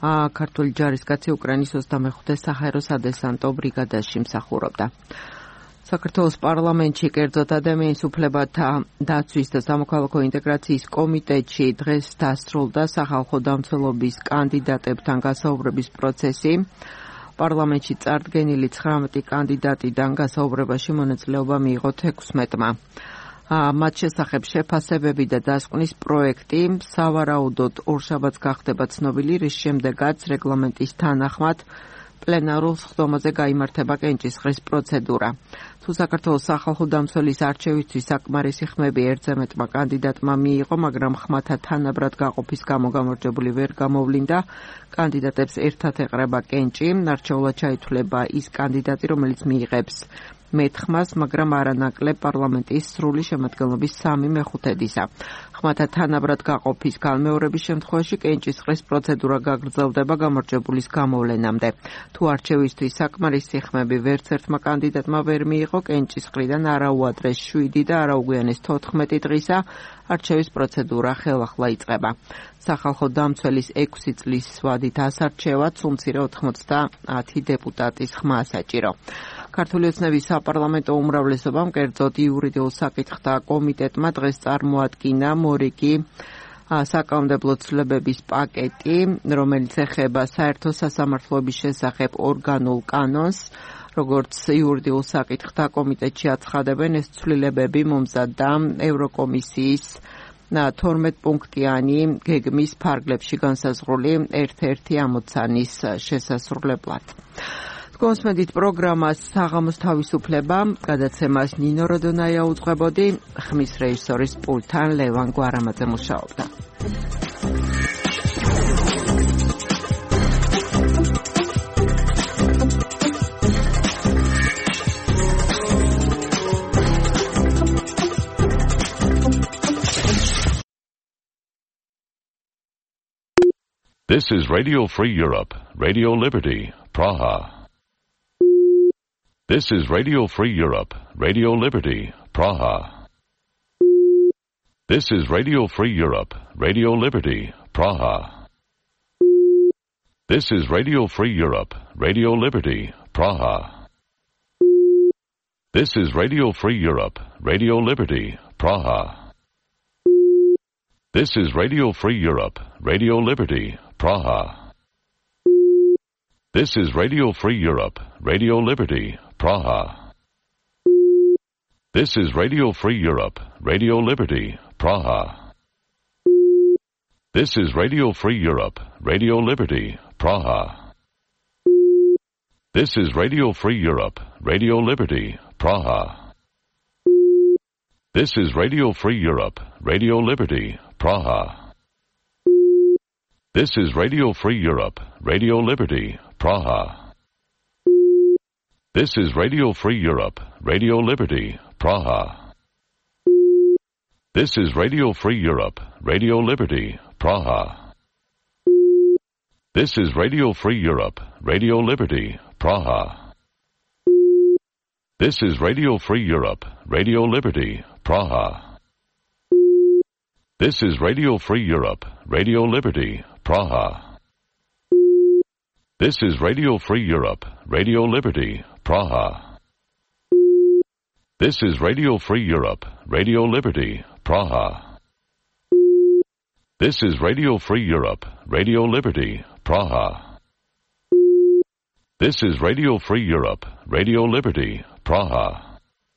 Speaker 1: ქართული ჯარისკაცი უკრაინის 25-ე საჰაერო სადესანტო ბრიგადაში მსახურობდა. საქართველოს პარლამენტში კერძოდ ადამიანის უფლებათა დაცვის და სამოქალაქო ინტეგრაციის კომიტეტში დღეს დასრულდა სახალხო დამცველობის კანდიდატებთან გასაუბრების პროცესი. პარლამენტში წარდგენილი 19 კანდიდატიდან გასაუბრებაში მონაწილეობა მიიღო 16-მა. მათ შესახებ შეფასებები და დასკვნის პროექტი სავარაუდოდ ორშაბათს გახდება ცნობილი, რის შემდეგაც რეგლამენტის თანახმად პლენარულ სხდომაზე გაიმართება კენჭისყრის პროცედურა. თუ საქართველოს სახალხო დამცველის არჩევისთვის საკმარისი ხმები ერთზე მეტმა კანდიდატმა მიიღო, მაგრამ ხმათა თანაბრად გაყოფის გამო გამარჯვებული ვერ გამოვლინდა, კანდიდატებს ერთად ეყრება კენჭი, არჩეულად ჩაითვლება ის კანდიდატი, რომელიც მიიღებს მეთხმას, მაგრამ არანაკლებ პარლამენტის სრული შემადგენლობის 3/5-ისა. ხმათა თანაბრად გაყოფის განმეორების შემთხვევაში კენჭისყრის პროცედურა გაგრძელდება გამარჯვებულის გამოვლენამდე. თუ არჩევისთვის საკმარისი ხმები ვერც ერთმა კანდიდატმა ვერ მიიღო, კენჭისყრიდან არა უადრეს 7 და არა უგვიანეს 14 დღისა არჩევის პროცედურა ხელახლა იწყება. სახალხო დამცველის 6 წლის ვადით ასარჩევად სულ-მცირე 90 დეპუტატის ხმა საჭირო. ქართული ოცნების საპარლამენტო უმრავლესობამ, კერძოდ იურიდიულ საკითხთა კომიტეტმა დღეს წარმოადგინა მორიგი საკანონმდებლო ცვლილებების პაკეტი, რომელიც ეხება საერთო სასამართლოების შესახებ ორგანულ კანონს. როგორც იურიდიულ საკითხთა კომიტეტში აცხადებენ, ეს ცვლილებები მომზადდა ევროკომისიის 12 პუნქტიანი გეგმის ფარგლებში განსაზღვრული ერთ-ერთი ამოცანის შესასრულებლად. გონსმედით პროგრამას საღამოს თავისუფლება, გადაცემას ნინო როდონაია უძღვებოდი, ხმის რეჟისორის პულტთან ლევან გვარამაძე მუშაობდა.
Speaker 19: This is Radio Free Europe, Radio Liberty, Praha. This is Radio Free Europe, Radio Liberty, Praha. This is Radio Free Europe, Radio Liberty, Praha. This is Radio Free Europe, Radio Liberty, Praha. This is Radio Free Europe, Radio Liberty, Praha. This is Radio Free Europe, Radio Liberty, Praha. This is Radio Free Europe, Radio Liberty, Praha. This is Radio Free Europe, Radio Liberty, Praha. This is Radio Free Europe, Radio Liberty, Praha. This is Radio Free Europe, Radio Liberty, Praha. This is Radio Free Europe, Radio Liberty, Praha. This is Radio Free Europe, Radio Liberty, Praha. This is Radio Free Europe, Radio Liberty, Praha. This is Radio Free Europe, Radio Liberty, Praha. This is Radio Free Europe, Radio Liberty, Praha. This is Radio Free Europe, Radio Liberty, Praha. This is Radio Free Europe, Radio Liberty, Praha. This is Radio Free Europe, Radio Liberty, Praha. This is Radio Free Europe, Radio Liberty, Praha. This is Radio Free Europe, Radio Liberty, Praha.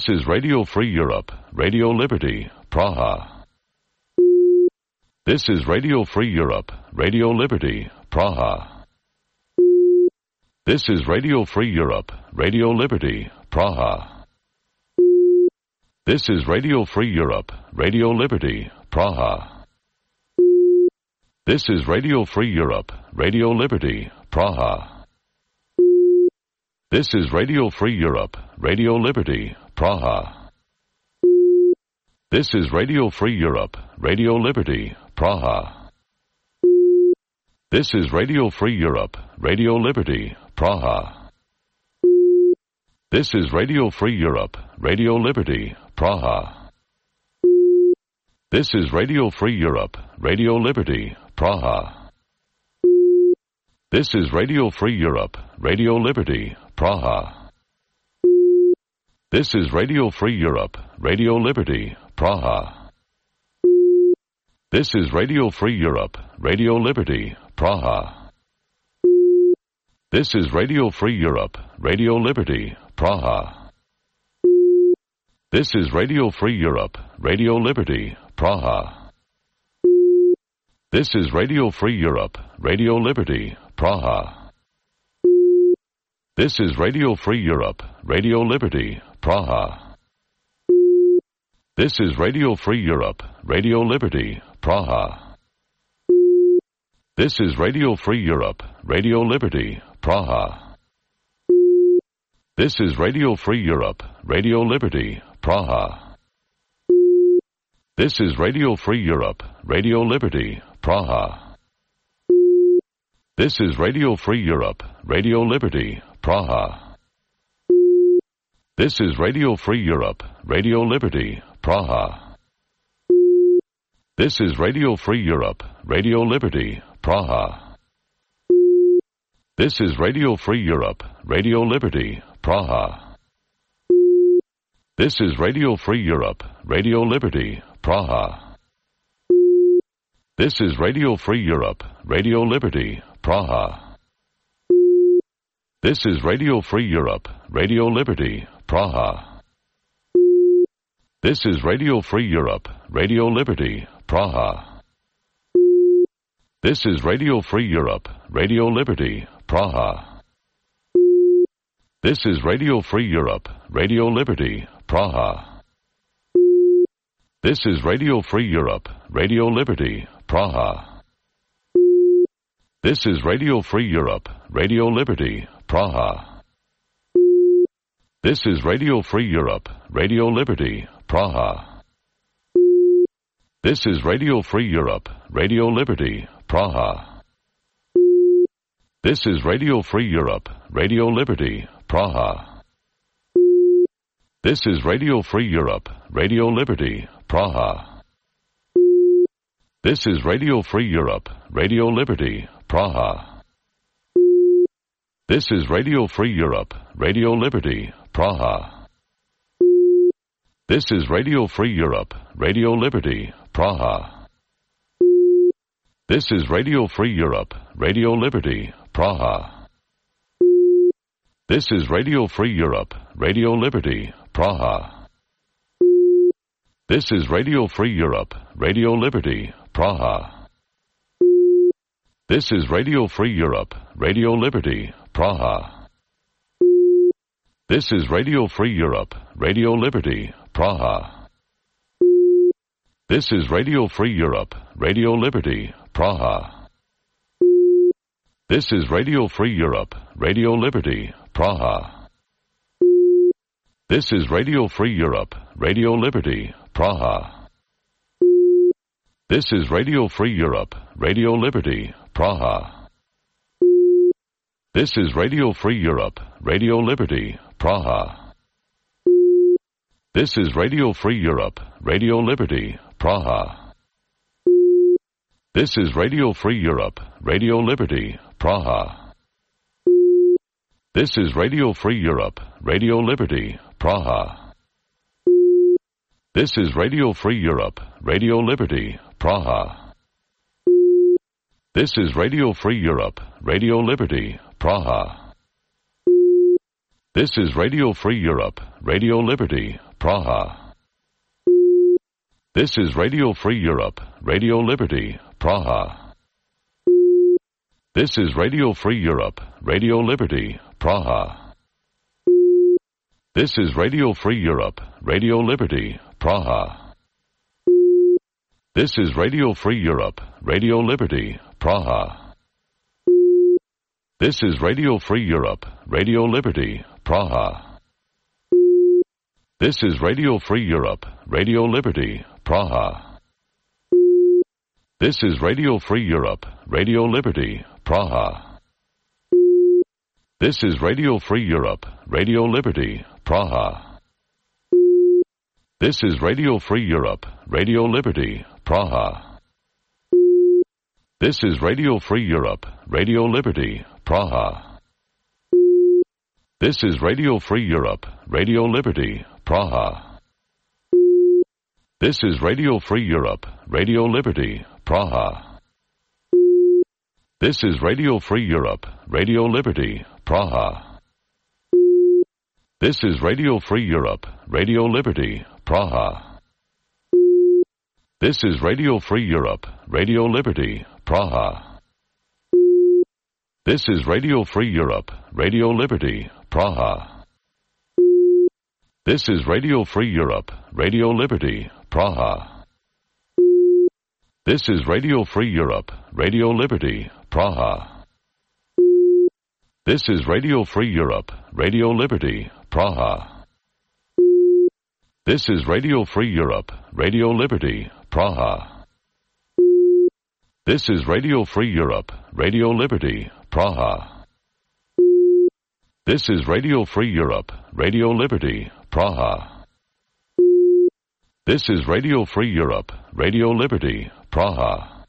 Speaker 19: This is Radio Free Europe, Radio Liberty, Praha. This is Radio Free Europe, Radio Liberty, Praha. This is Radio Free Europe, Radio Liberty, Praha. This is Radio Free Europe, Radio Liberty, Praha. This is Radio Free Europe, Radio Liberty, Praha. This is Radio Free Europe, Radio Liberty, Praha. This is Radio Free Europe, Radio Liberty, Praha. This is Radio Free Europe, Radio Liberty, Praha. This is Radio Free Europe, Radio Liberty, Praha. This is Radio Free Europe, Radio Liberty, Praha. This is Radio Free Europe, Radio Liberty, Praha. This is Radio Free Europe, Radio Liberty, Praha. This is Radio Free Europe, Radio Liberty, Praha. This is Radio Free Europe, Radio Liberty, Praha. This is Radio Free Europe, Radio Liberty, Praha. This is Radio Free Europe, Radio Liberty, Praha. This is Radio Free Europe, Radio Liberty, Praha. This is Radio Free Europe, Radio Liberty, Praha. This is Radio Free Europe, Radio Liberty, Praha. This is Radio Free Europe, Radio Liberty, Praha. This is Radio Free Europe, Radio Liberty, Praha. This is Radio Free Europe, Radio Liberty, Praha. This is Radio Free Europe, Radio Liberty, Praha. This is Radio Free Europe, Radio Liberty, Praha. This is Radio Free Europe, Radio Liberty, Praha. This is Radio Free Europe, Radio Liberty, Praha. This is Radio Free Europe, Radio Liberty, Praha. This is Radio Free Europe, Radio Liberty, Praha. This is Radio Free Europe, Radio Liberty, Praha. This is Radio Free Europe, Radio Liberty, Praha. This is Radio Free Europe, Radio Liberty, Praha. This is Radio Free Europe, Radio Liberty, Praha. This is Radio Free Europe, Radio Liberty, Praha. This is Radio Free Europe, Radio Liberty, Praha. This is Radio Free Europe, Radio Liberty, Praha. This is Radio Free Europe, Radio Liberty, Praha. This is Radio Free Europe, Radio Liberty, Praha. This is Radio Free Europe, Radio Liberty, Praha. This is Radio Free Europe, Radio Liberty, Praha. This is Radio Free Europe, Radio Liberty, Praha. This is Radio Free Europe, Radio Liberty, Praha. This is Radio Free Europe, Radio Liberty, Praha. This is Radio Free Europe, Radio Liberty, Praha. This is Radio Free Europe, Radio Liberty, Praha. This is Radio Free Europe, Radio Liberty, Praha. This is Radio Free Europe, Radio Liberty, Praha. This is Radio Free Europe, Radio Liberty, Praha. This is Radio Free Europe, Radio Liberty, Praha. This is Radio Free Europe, Radio Liberty, Praha. This is Radio Free Europe, Radio Liberty, Praha. This is Radio Free Europe, Radio Liberty, Praha. This is Radio Free Europe, Radio Liberty, Praha. This is Radio Free Europe, Radio Liberty, Praha. This is Radio Free Europe, Radio Liberty, Praha. This is Radio Free Europe, Radio Liberty, Praha. This is Radio Free Europe, Radio Liberty, Praha. This is Radio Free Europe, Radio Liberty, Praha. This is Radio Free Europe, Radio Liberty, Praha. This is Radio Free Europe, Radio Liberty, Praha. This is Radio Free Europe, Radio Liberty, Praha. This is Radio Free Europe, Radio Liberty, Praha. This is Radio Free Europe, Radio Liberty, Praha. This is Radio Free Europe, Radio Liberty, Praha. This is Radio Free Europe, Radio Liberty, Praha. This is Radio Free Europe, Radio Liberty, Praha. This is Radio Free Europe, Radio Liberty, Praha. This is Radio Free Europe, Radio Liberty, Praha. This is Radio Free Europe, Radio Liberty, Praha. This is Radio Free Europe, Radio Liberty, Praha. This is Radio Free Europe, Radio Liberty, Praha. This is Radio Free Europe, Radio Liberty, Praha. This is Radio Free Europe, Radio Liberty, Praha. This is Radio Free Europe, Radio Liberty, Praha. This is Radio Free Europe, Radio Liberty, Praha. This is Radio Free Europe, Radio Liberty, Praha. This is Radio Free Europe, Radio Liberty, Praha. This is Radio Free Europe, Radio Liberty, Praha. This is Radio Free Europe, Radio Liberty, Praha. This is Radio Free Europe, Radio Liberty, Praha. This is Radio Free Europe, Radio Liberty, Praha.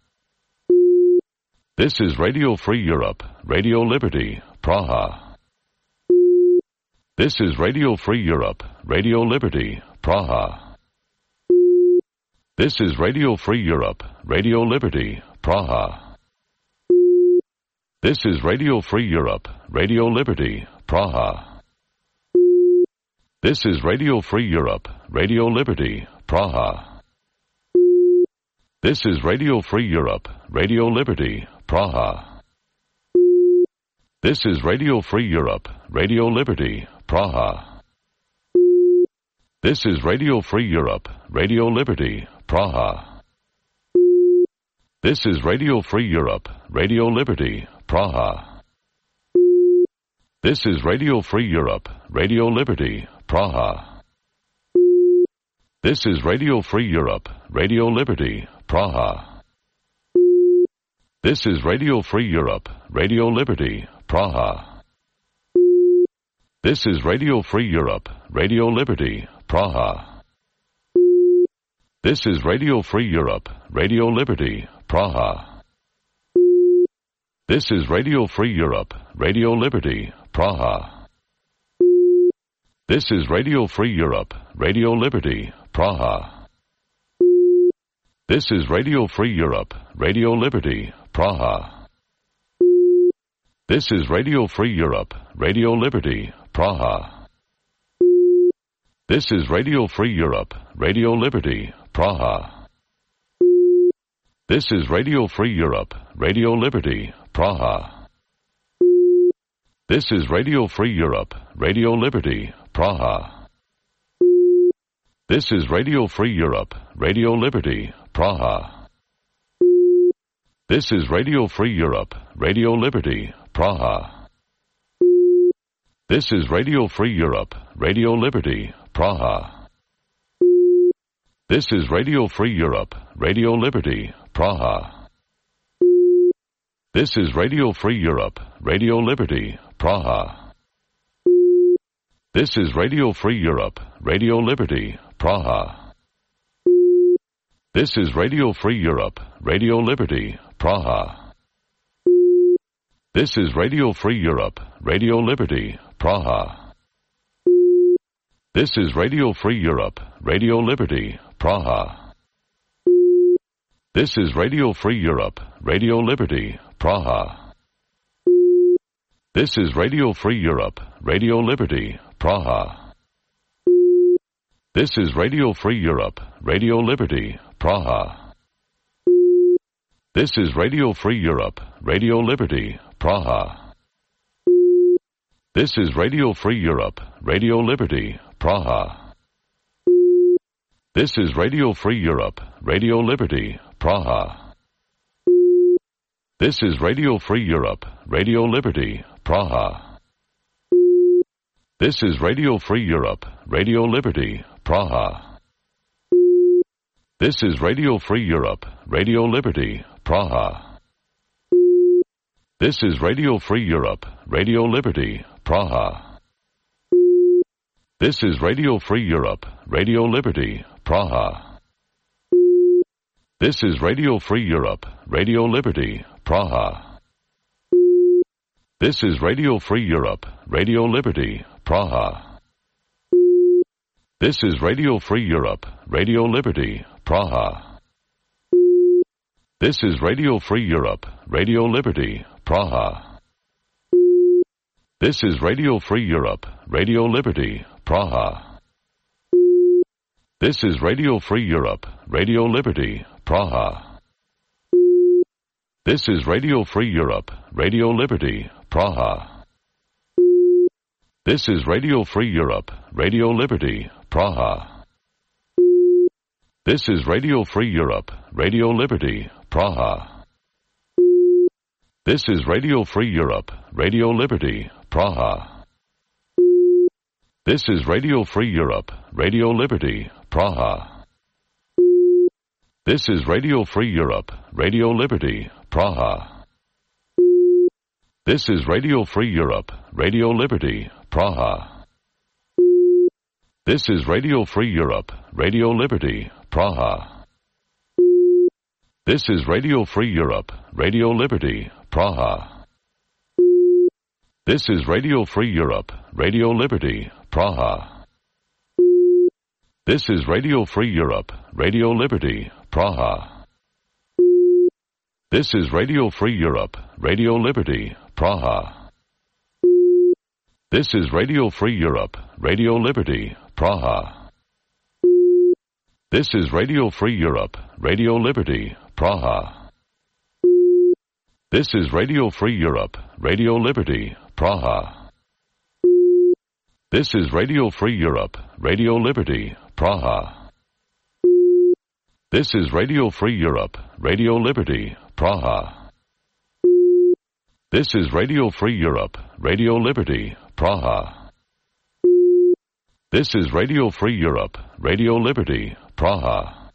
Speaker 19: This is Radio Free Europe, Radio Liberty, Praha. This is Radio Free Europe, Radio Liberty, Praha. This is Radio Free Europe, Radio Liberty, Praha. This is Radio Free Europe, Radio Liberty, Praha. This is Radio Free Europe, Radio Liberty, Praha. This is Radio Free Europe, Radio Liberty, Praha. This is Radio Free Europe, Radio Liberty, Praha. This is Radio Free Europe, Radio Liberty, Praha. This is Radio Free Europe, Radio Liberty, Praha. This is Radio Free Europe, Radio Liberty, Praha. This is Radio Free Europe, Radio Liberty, Praha. This is Radio Free Europe, Radio Liberty, Praha. This is Radio Free Europe, Radio Liberty, Praha. This is Radio Free Europe, Radio Liberty, Praha. This is Radio Free Europe, Radio Liberty, Praha. This is Radio Free Europe, Radio Liberty, Praha. This is Radio Free Europe, Radio Liberty, Praha. This is Radio Free Europe, Radio Liberty, Praha. This is Radio Free Europe, Radio Liberty, Praha. This is Radio Free Europe, Radio Liberty, Praha. This is Radio Free Europe, Radio Liberty, Praha. This is Radio Free Europe, Radio Liberty, Praha. This is Radio Free Europe, Radio Liberty, Praha. This is Radio Free Europe, Radio Liberty, Praha. This is Radio Free Europe, Radio Liberty, Praha. This is Radio Free Europe, Radio Liberty, Praha. This is Radio Free Europe, Radio Liberty, Praha. This is Radio Free Europe, Radio Liberty, Praha. This is Radio Free Europe, Radio Liberty, Praha. This is Radio Free Europe, Radio Liberty, Praha. This is Radio Free Europe, Radio Liberty, Praha. This is Radio Free Europe, Radio Liberty, Praha. This is Radio Free Europe, Radio Liberty, Praha. This is Radio Free Europe, Radio Liberty, Praha. This is Radio Free Europe, Radio Liberty, Praha. This is Radio Free Europe, Radio Liberty, Praha. This is Radio Free Europe, Radio Liberty, Praha. This is Radio Free Europe, Radio Liberty, Praha. This is Radio Free Europe, Radio Liberty, Praha. This is Radio Free Europe, Radio Liberty, Praha. This is Radio Free Europe, Radio Liberty, Praha. This is Radio Free Europe, Radio Liberty, Praha. This is Radio Free Europe, Radio Liberty, Praha. This is Radio Free Europe, Radio Liberty, Praha. This is Radio Free Europe, Radio Liberty, Praha. This is Radio Free Europe, Radio Liberty, Praha. This is Radio Free Europe, Radio Liberty, Praha. This is Radio Free Europe, Radio Liberty, Praha. This is Radio Free Europe, Radio Liberty, Praha. This is Radio Free Europe, Radio Liberty, Praha. This is Radio Free Europe, Radio Liberty, Praha. This is Radio Free Europe, Radio Liberty, Praha. This is Radio Free Europe, Radio Liberty, Praha. This is Radio Free Europe, Radio Liberty, Praha. This is Radio Free Europe, Radio Liberty, Praha. This is Radio Free Europe, Radio Liberty, Praha. This is Radio Free Europe, Radio Liberty, Praha. This is Radio Free Europe, Radio Liberty, Praha. This is Radio Free Europe, Radio Liberty, Praha. This is Radio Free Europe, Radio Liberty, Praha. This is Radio Free Europe, Radio Liberty, Praha. This is Radio Free Europe, Radio Liberty, Praha. This is Radio Free Europe, Radio Liberty, Praha. This is Radio Free Europe, Radio Liberty, Praha. This is Radio Free Europe, Radio Liberty, Praha. This is Radio Free Europe, Radio Liberty, Praha.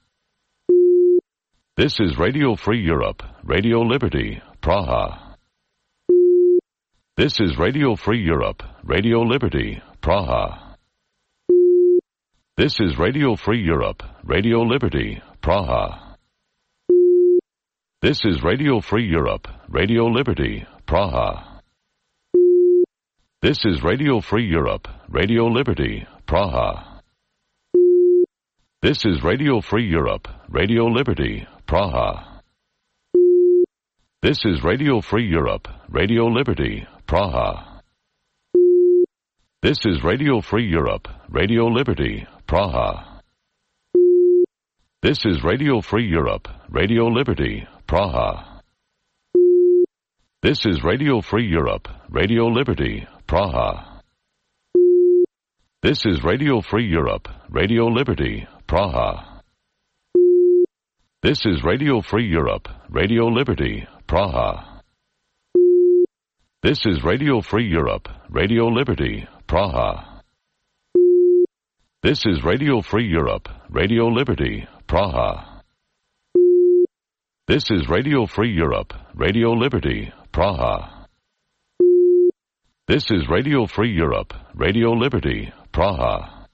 Speaker 19: This is Radio Free Europe, Radio Liberty, Praha. This is Radio Free Europe, Radio Liberty, Praha. This is Radio Free Europe, Radio Liberty, Praha. This is Radio Free Europe, Radio Liberty, Praha. This is Radio Free Europe, Radio Liberty, Praha. This is Radio Free Europe, Radio Liberty, Praha. This is Radio Free Europe, Radio Liberty, Praha. This is Radio Free Europe, Radio Liberty, Praha. This is Radio Free Europe, Radio Liberty, Praha. This is Radio Free Europe, Radio Liberty, Praha. This is Radio Free Europe, Radio Liberty, Praha. This is Radio Free Europe, Radio Liberty, Praha. This is Radio Free Europe, Radio Liberty, Praha. This is Radio Free Europe, Radio Liberty, Praha. This is Radio Free Europe, Radio Liberty, Praha.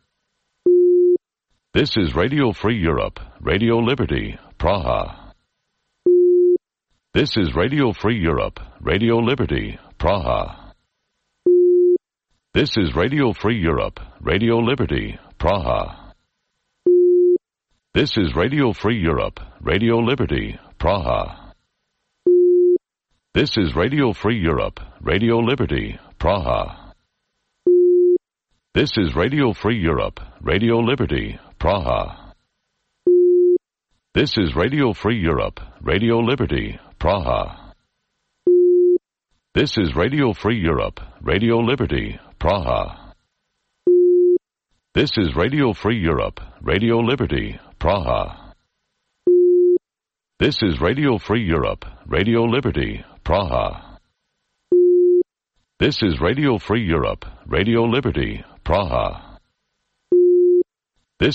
Speaker 19: This is Radio Free Europe, Radio Liberty, Praha. This is Radio Free Europe, Radio Liberty, Praha. This is Radio Free Europe, Radio Liberty, Praha. This is Radio Free Europe, Radio Liberty, Praha. This is Radio Free Europe, Radio Liberty, Praha. This is Radio Free Europe, Radio Liberty, Praha. This is Radio Free Europe, Radio Liberty, Praha. This is Radio Free Europe, Radio Liberty, Praha. This is Radio Free Europe, Radio Liberty, Praha. This is Radio Free Europe, Radio Liberty, Praha. This is Radio Free Europe, Radio Liberty, Praha. This is Radio Free Europe, Radio Liberty, Praha.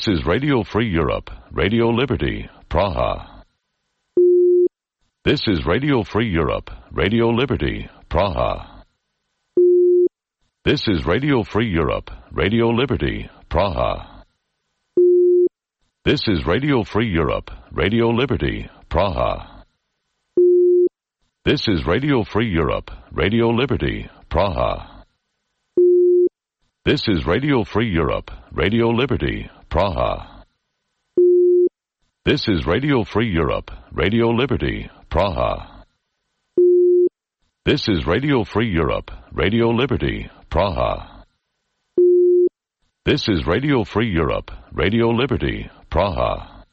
Speaker 19: This is Radio Free Europe, Radio Liberty, Praha. This is Radio Free Europe, Radio Liberty, Praha. This is Radio Free Europe, Radio Liberty, Praha. This is Radio Free Europe, Radio Liberty, Praha. This is Radio Free Europe, Radio Liberty, Praha. This is Radio Free Europe, Radio Liberty, Praha. This is Radio Free Europe, Radio Liberty, Praha. This is Radio Free Europe, Radio Liberty, Praha. This is Radio Free Europe, Radio Liberty, Praha.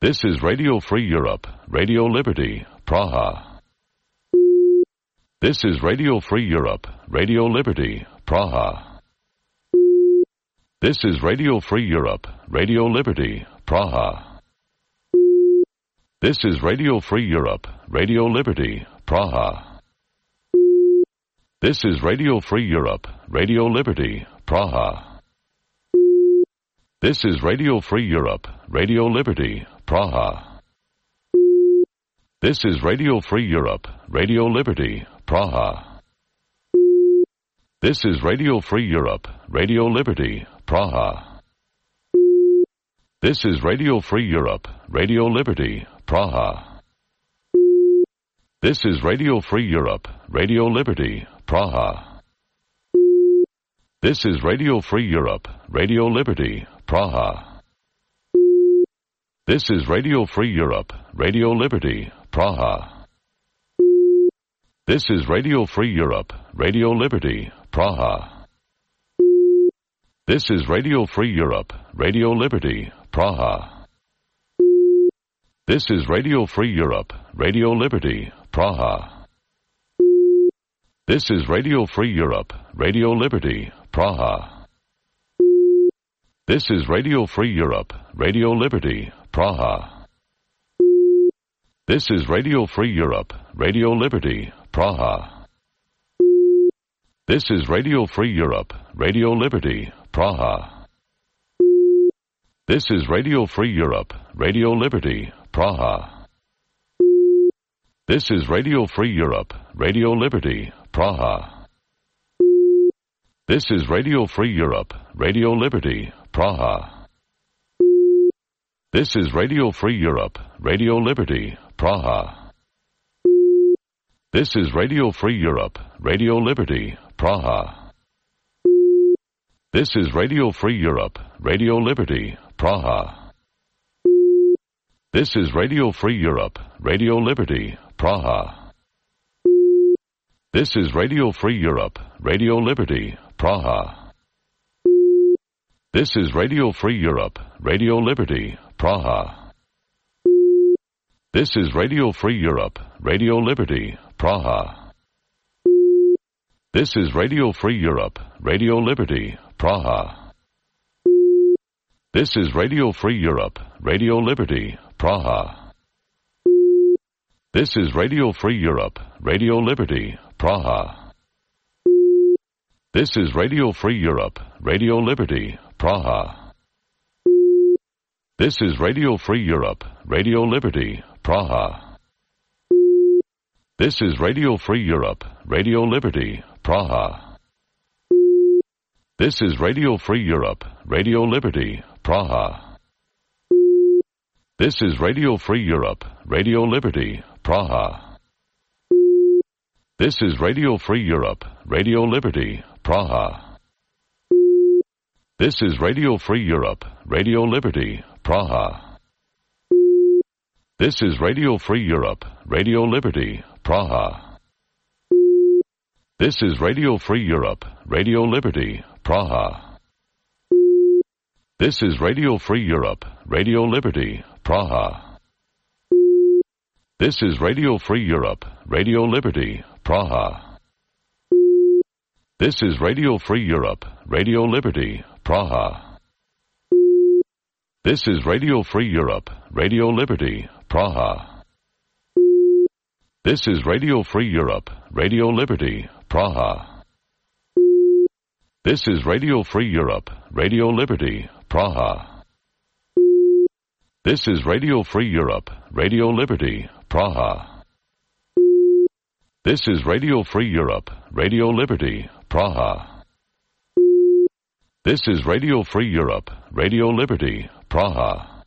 Speaker 19: This is Radio Free Europe, Radio Liberty, Praha. This is Radio Free Europe, Radio Liberty, Praha. This is Radio Free Europe, Radio Liberty, Praha. This is Radio Free Europe, Radio Liberty, Praha. This is Radio Free Europe, Radio Liberty, Praha. This is Radio Free Europe, Radio Liberty, Praha. This is Radio Free Europe, Radio Liberty, Praha. This is Radio Free Europe, Radio Liberty, Praha. This is Radio Free Europe, Radio Liberty, Praha. This is Radio Free Europe, Radio Liberty, Praha. This is Radio Free Europe, Radio Liberty, Praha. This is Radio Free Europe, Radio Liberty, Praha. This is Radio Free Europe, Radio Liberty, Praha. This is Radio Free Europe, Radio Liberty, Praha. This is Radio Free Europe, Radio Liberty, Praha. This is Radio Free Europe, Radio Liberty, Praha. This is Radio Free Europe, Radio Liberty, Praha. This is Radio Free Europe, Radio Liberty, Praha. This is Radio Free Europe, Radio Liberty, Praha. This is Radio Free Europe, Radio Liberty, Praha. This is Radio Free Europe, Radio Liberty, Praha. This is Radio Free Europe, Radio Liberty, Praha. This is Radio Free Europe, Radio Liberty, Praha. This is Radio Free Europe, Radio Liberty, Praha. This is Radio Free Europe, Radio Liberty, Praha. This is Radio Free Europe, Radio Liberty, Praha. This is Radio Free Europe, Radio Liberty, Praha. This is Radio Free Europe, Radio Liberty, Praha. This is Radio Free Europe, Radio Liberty, Praha. This is Radio Free Europe, Radio Liberty, Praha. This is Radio Free Europe, Radio Liberty, Praha. This is Radio Free Europe, Radio Liberty, Praha. This is Radio Free Europe, Radio Liberty, Praha. This is Radio Free Europe, Radio Liberty, Praha. This is Radio Free Europe, Radio Liberty, Praha. This is Radio Free Europe, Radio Liberty, Praha. This is Radio Free Europe, Radio Liberty, Praha. This is Radio Free Europe, Radio Liberty, Praha. This is Radio Free Europe, Radio Liberty, Praha. This is Radio Free Europe, Radio Liberty, Praha. This is Radio Free Europe, Radio Liberty, Praha. This is Radio Free Europe, Radio Liberty, Praha. This is Radio Free Europe, Radio Liberty, Praha. This is Radio Free Europe, Radio Liberty, Praha. This is Radio Free Europe, Radio Liberty, Praha. This is Radio Free Europe, Radio Liberty, Praha. This is Radio Free Europe, Radio Liberty, Praha. This is Radio Free Europe, Radio Liberty, Praha. This is Radio Free Europe, Radio Liberty, Praha. This is Radio Free Europe, Radio Liberty, Praha.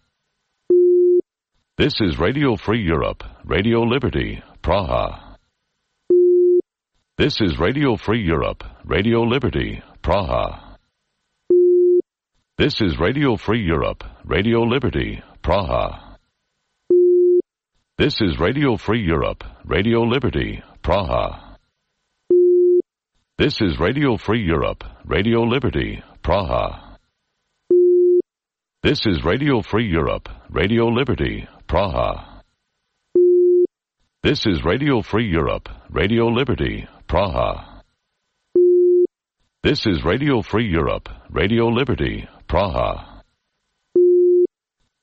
Speaker 19: This is Radio Free Europe, Radio Liberty, Praha. This is Radio Free Europe, Radio Liberty, Praha. This is Radio Free Europe, Radio Liberty, Praha. This is Radio Free Europe, Radio Liberty, Praha. This is Radio Free Europe, Radio Liberty, Praha. This is Radio Free Europe, Radio Liberty, Praha. This is Radio Free Europe, Radio Liberty, Praha. This is Radio Free Europe, Radio Liberty, Praha.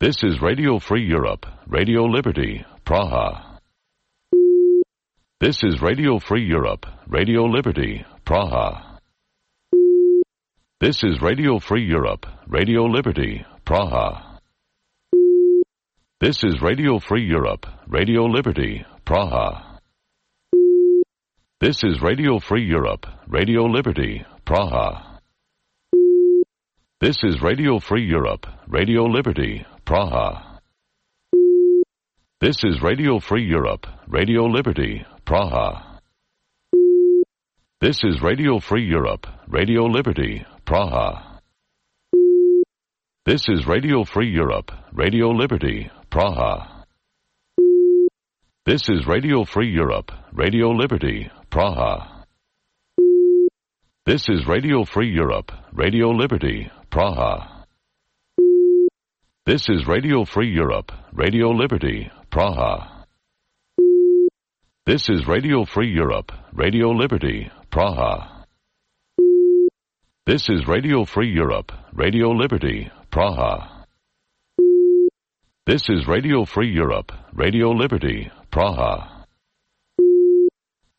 Speaker 19: This is Radio Free Europe, Radio Liberty, Praha. This is Radio Free Europe, Radio Liberty, Praha. This is Radio Free Europe, Radio Liberty, Praha. This is Radio Free Europe, Radio Liberty, Praha. This is Radio Free Europe, Radio Liberty, Praha. This is Radio Free Europe, Radio Liberty, Praha. This is Radio Free Europe, Radio Liberty, Praha. This is Radio Free Europe, Radio Liberty, Praha. This is Radio Free Europe, Radio Liberty, Praha. This is Radio Free Europe, Radio Liberty, Praha. This is Radio Free Europe, Radio Liberty, Praha. This is Radio Free Europe, Radio Liberty, Praha. This is Radio Free Europe, Radio Liberty, Praha. This is Radio Free Europe, Radio Liberty, Praha. This is Radio Free Europe, Radio Liberty, Praha.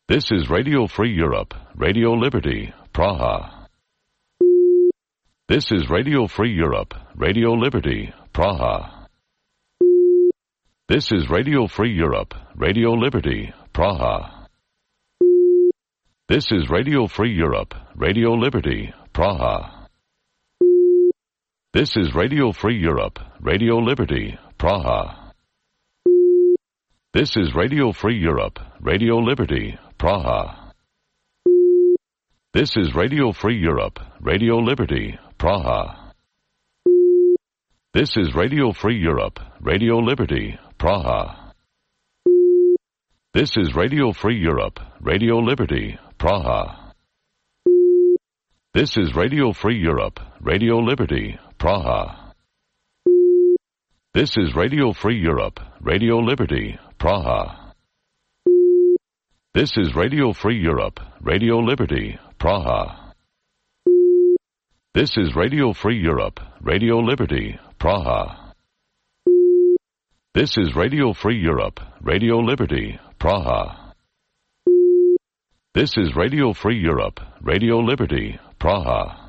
Speaker 19: This is Radio Free Europe, Radio Liberty, Praha. This is Radio Free Europe, Radio Liberty, Praha. This is Radio Free Europe, Radio Liberty, Praha. This is Radio Free Europe, Radio Liberty, Praha. This is Radio Free Europe, Radio Liberty, Praha. This is Radio Free Europe, Radio Liberty, Praha. This is Radio Free Europe, Radio Liberty, Praha. This is Radio Free Europe, Radio Liberty, Praha. This is Radio Free Europe, Radio Liberty, Praha. This is Radio Free Europe, Radio Liberty, Praha. This is Radio Free Europe, Radio Liberty, Praha. This is Radio Free Europe, Radio Liberty, Praha. This is Radio Free Europe, Radio Liberty, Praha. This is Radio Free Europe, Radio Liberty, Praha. This is Radio Free Europe, Radio Liberty, Praha.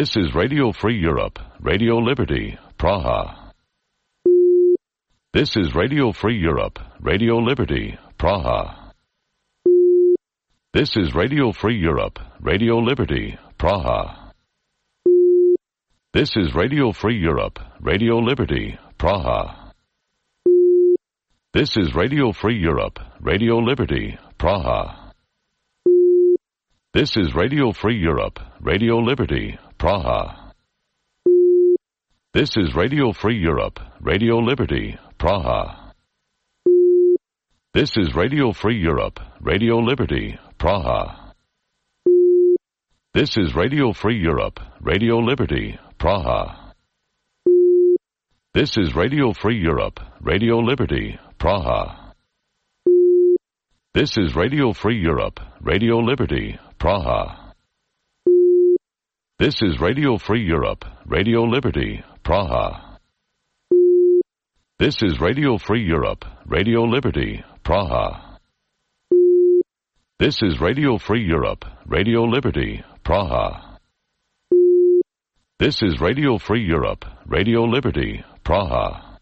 Speaker 19: This is Radio Free Europe, Radio Liberty, Praha. This is Radio Free Europe, Radio Liberty, Praha. This is Radio Free Europe, Radio Liberty, Praha. This is Radio Free Europe, Radio Liberty, Praha. This is Radio Free Europe, Radio Liberty, Praha. This is Radio Free Europe, Radio Liberty, Praha. This is Radio Free Europe, Radio Liberty, Praha. This is Radio Free Europe, Radio Liberty, Praha. This is Radio Free Europe, Radio Liberty, Praha. This is Radio Free Europe, Radio Liberty, Praha. This is Radio Free Europe, Radio Liberty, Praha. This is Radio Free Europe, Radio Liberty, Praha. This is Radio Free Europe, Radio Liberty, Praha. This is Radio Free Europe, Radio Liberty, Praha. This is Radio Free Europe, Radio Liberty, Praha.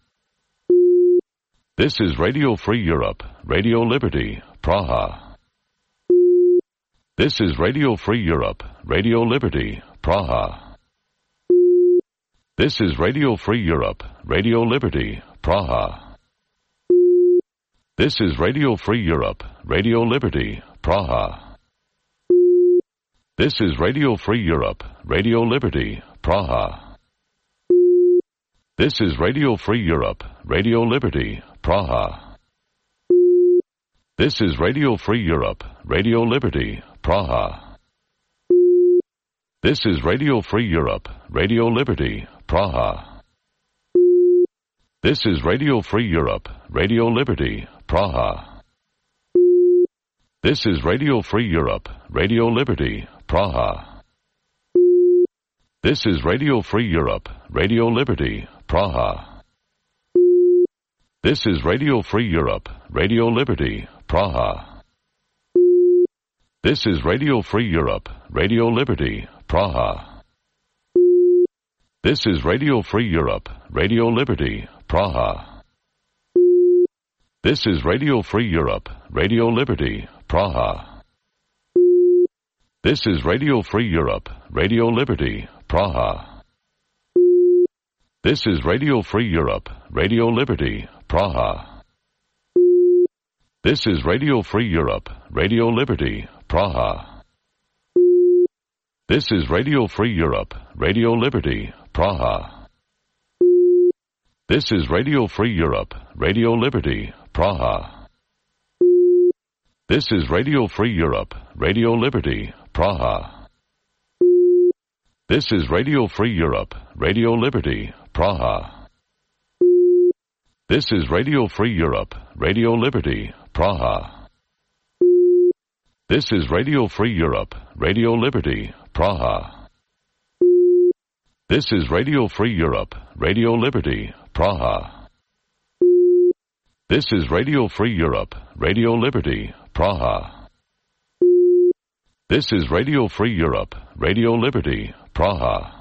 Speaker 19: This is Radio Free Europe, Radio Liberty, Praha. This is Radio Free Europe, Radio Liberty, Praha. This is Radio Free Europe, Radio Liberty, Praha. This is Radio Free Europe, Radio Liberty, Praha. This is Radio Free Europe, Radio Liberty, Praha. This is Radio Free Europe, Radio Liberty, Praha. This is Radio Free Europe, Radio Liberty, Praha. This is Radio Free Europe, Radio Liberty, Praha. This is Radio Free Europe, Radio Liberty, Praha. This is Radio Free Europe, Radio Liberty, Praha. This is Radio Free Europe, Radio Liberty, Praha. This is Radio Free Europe, Radio Liberty, Praha. This is Radio Free Europe, Radio Liberty, Praha. This is Radio Free Europe, Radio Liberty, Praha. This is Radio Free Europe, Radio Liberty, Praha. This is Radio Free Europe, Radio Liberty, Praha. This is Radio Free Europe, Radio Liberty, Praha. This is Radio Free Europe, Radio Liberty, Praha. This is Radio Free Europe, Radio Liberty, Praha. This is Radio Free Europe, Radio Liberty, Praha. This is Radio Free Europe, Radio Liberty, Praha. This is Radio Free Europe, Radio Liberty, Praha. This is Radio Free Europe, Radio Liberty, Praha. This is Radio Free Europe, Radio Liberty, Praha. This is Radio Free Europe, Radio Liberty, Praha. This is Radio Free Europe, Radio Liberty, Praha. This is Radio Free Europe, Radio Liberty, Praha.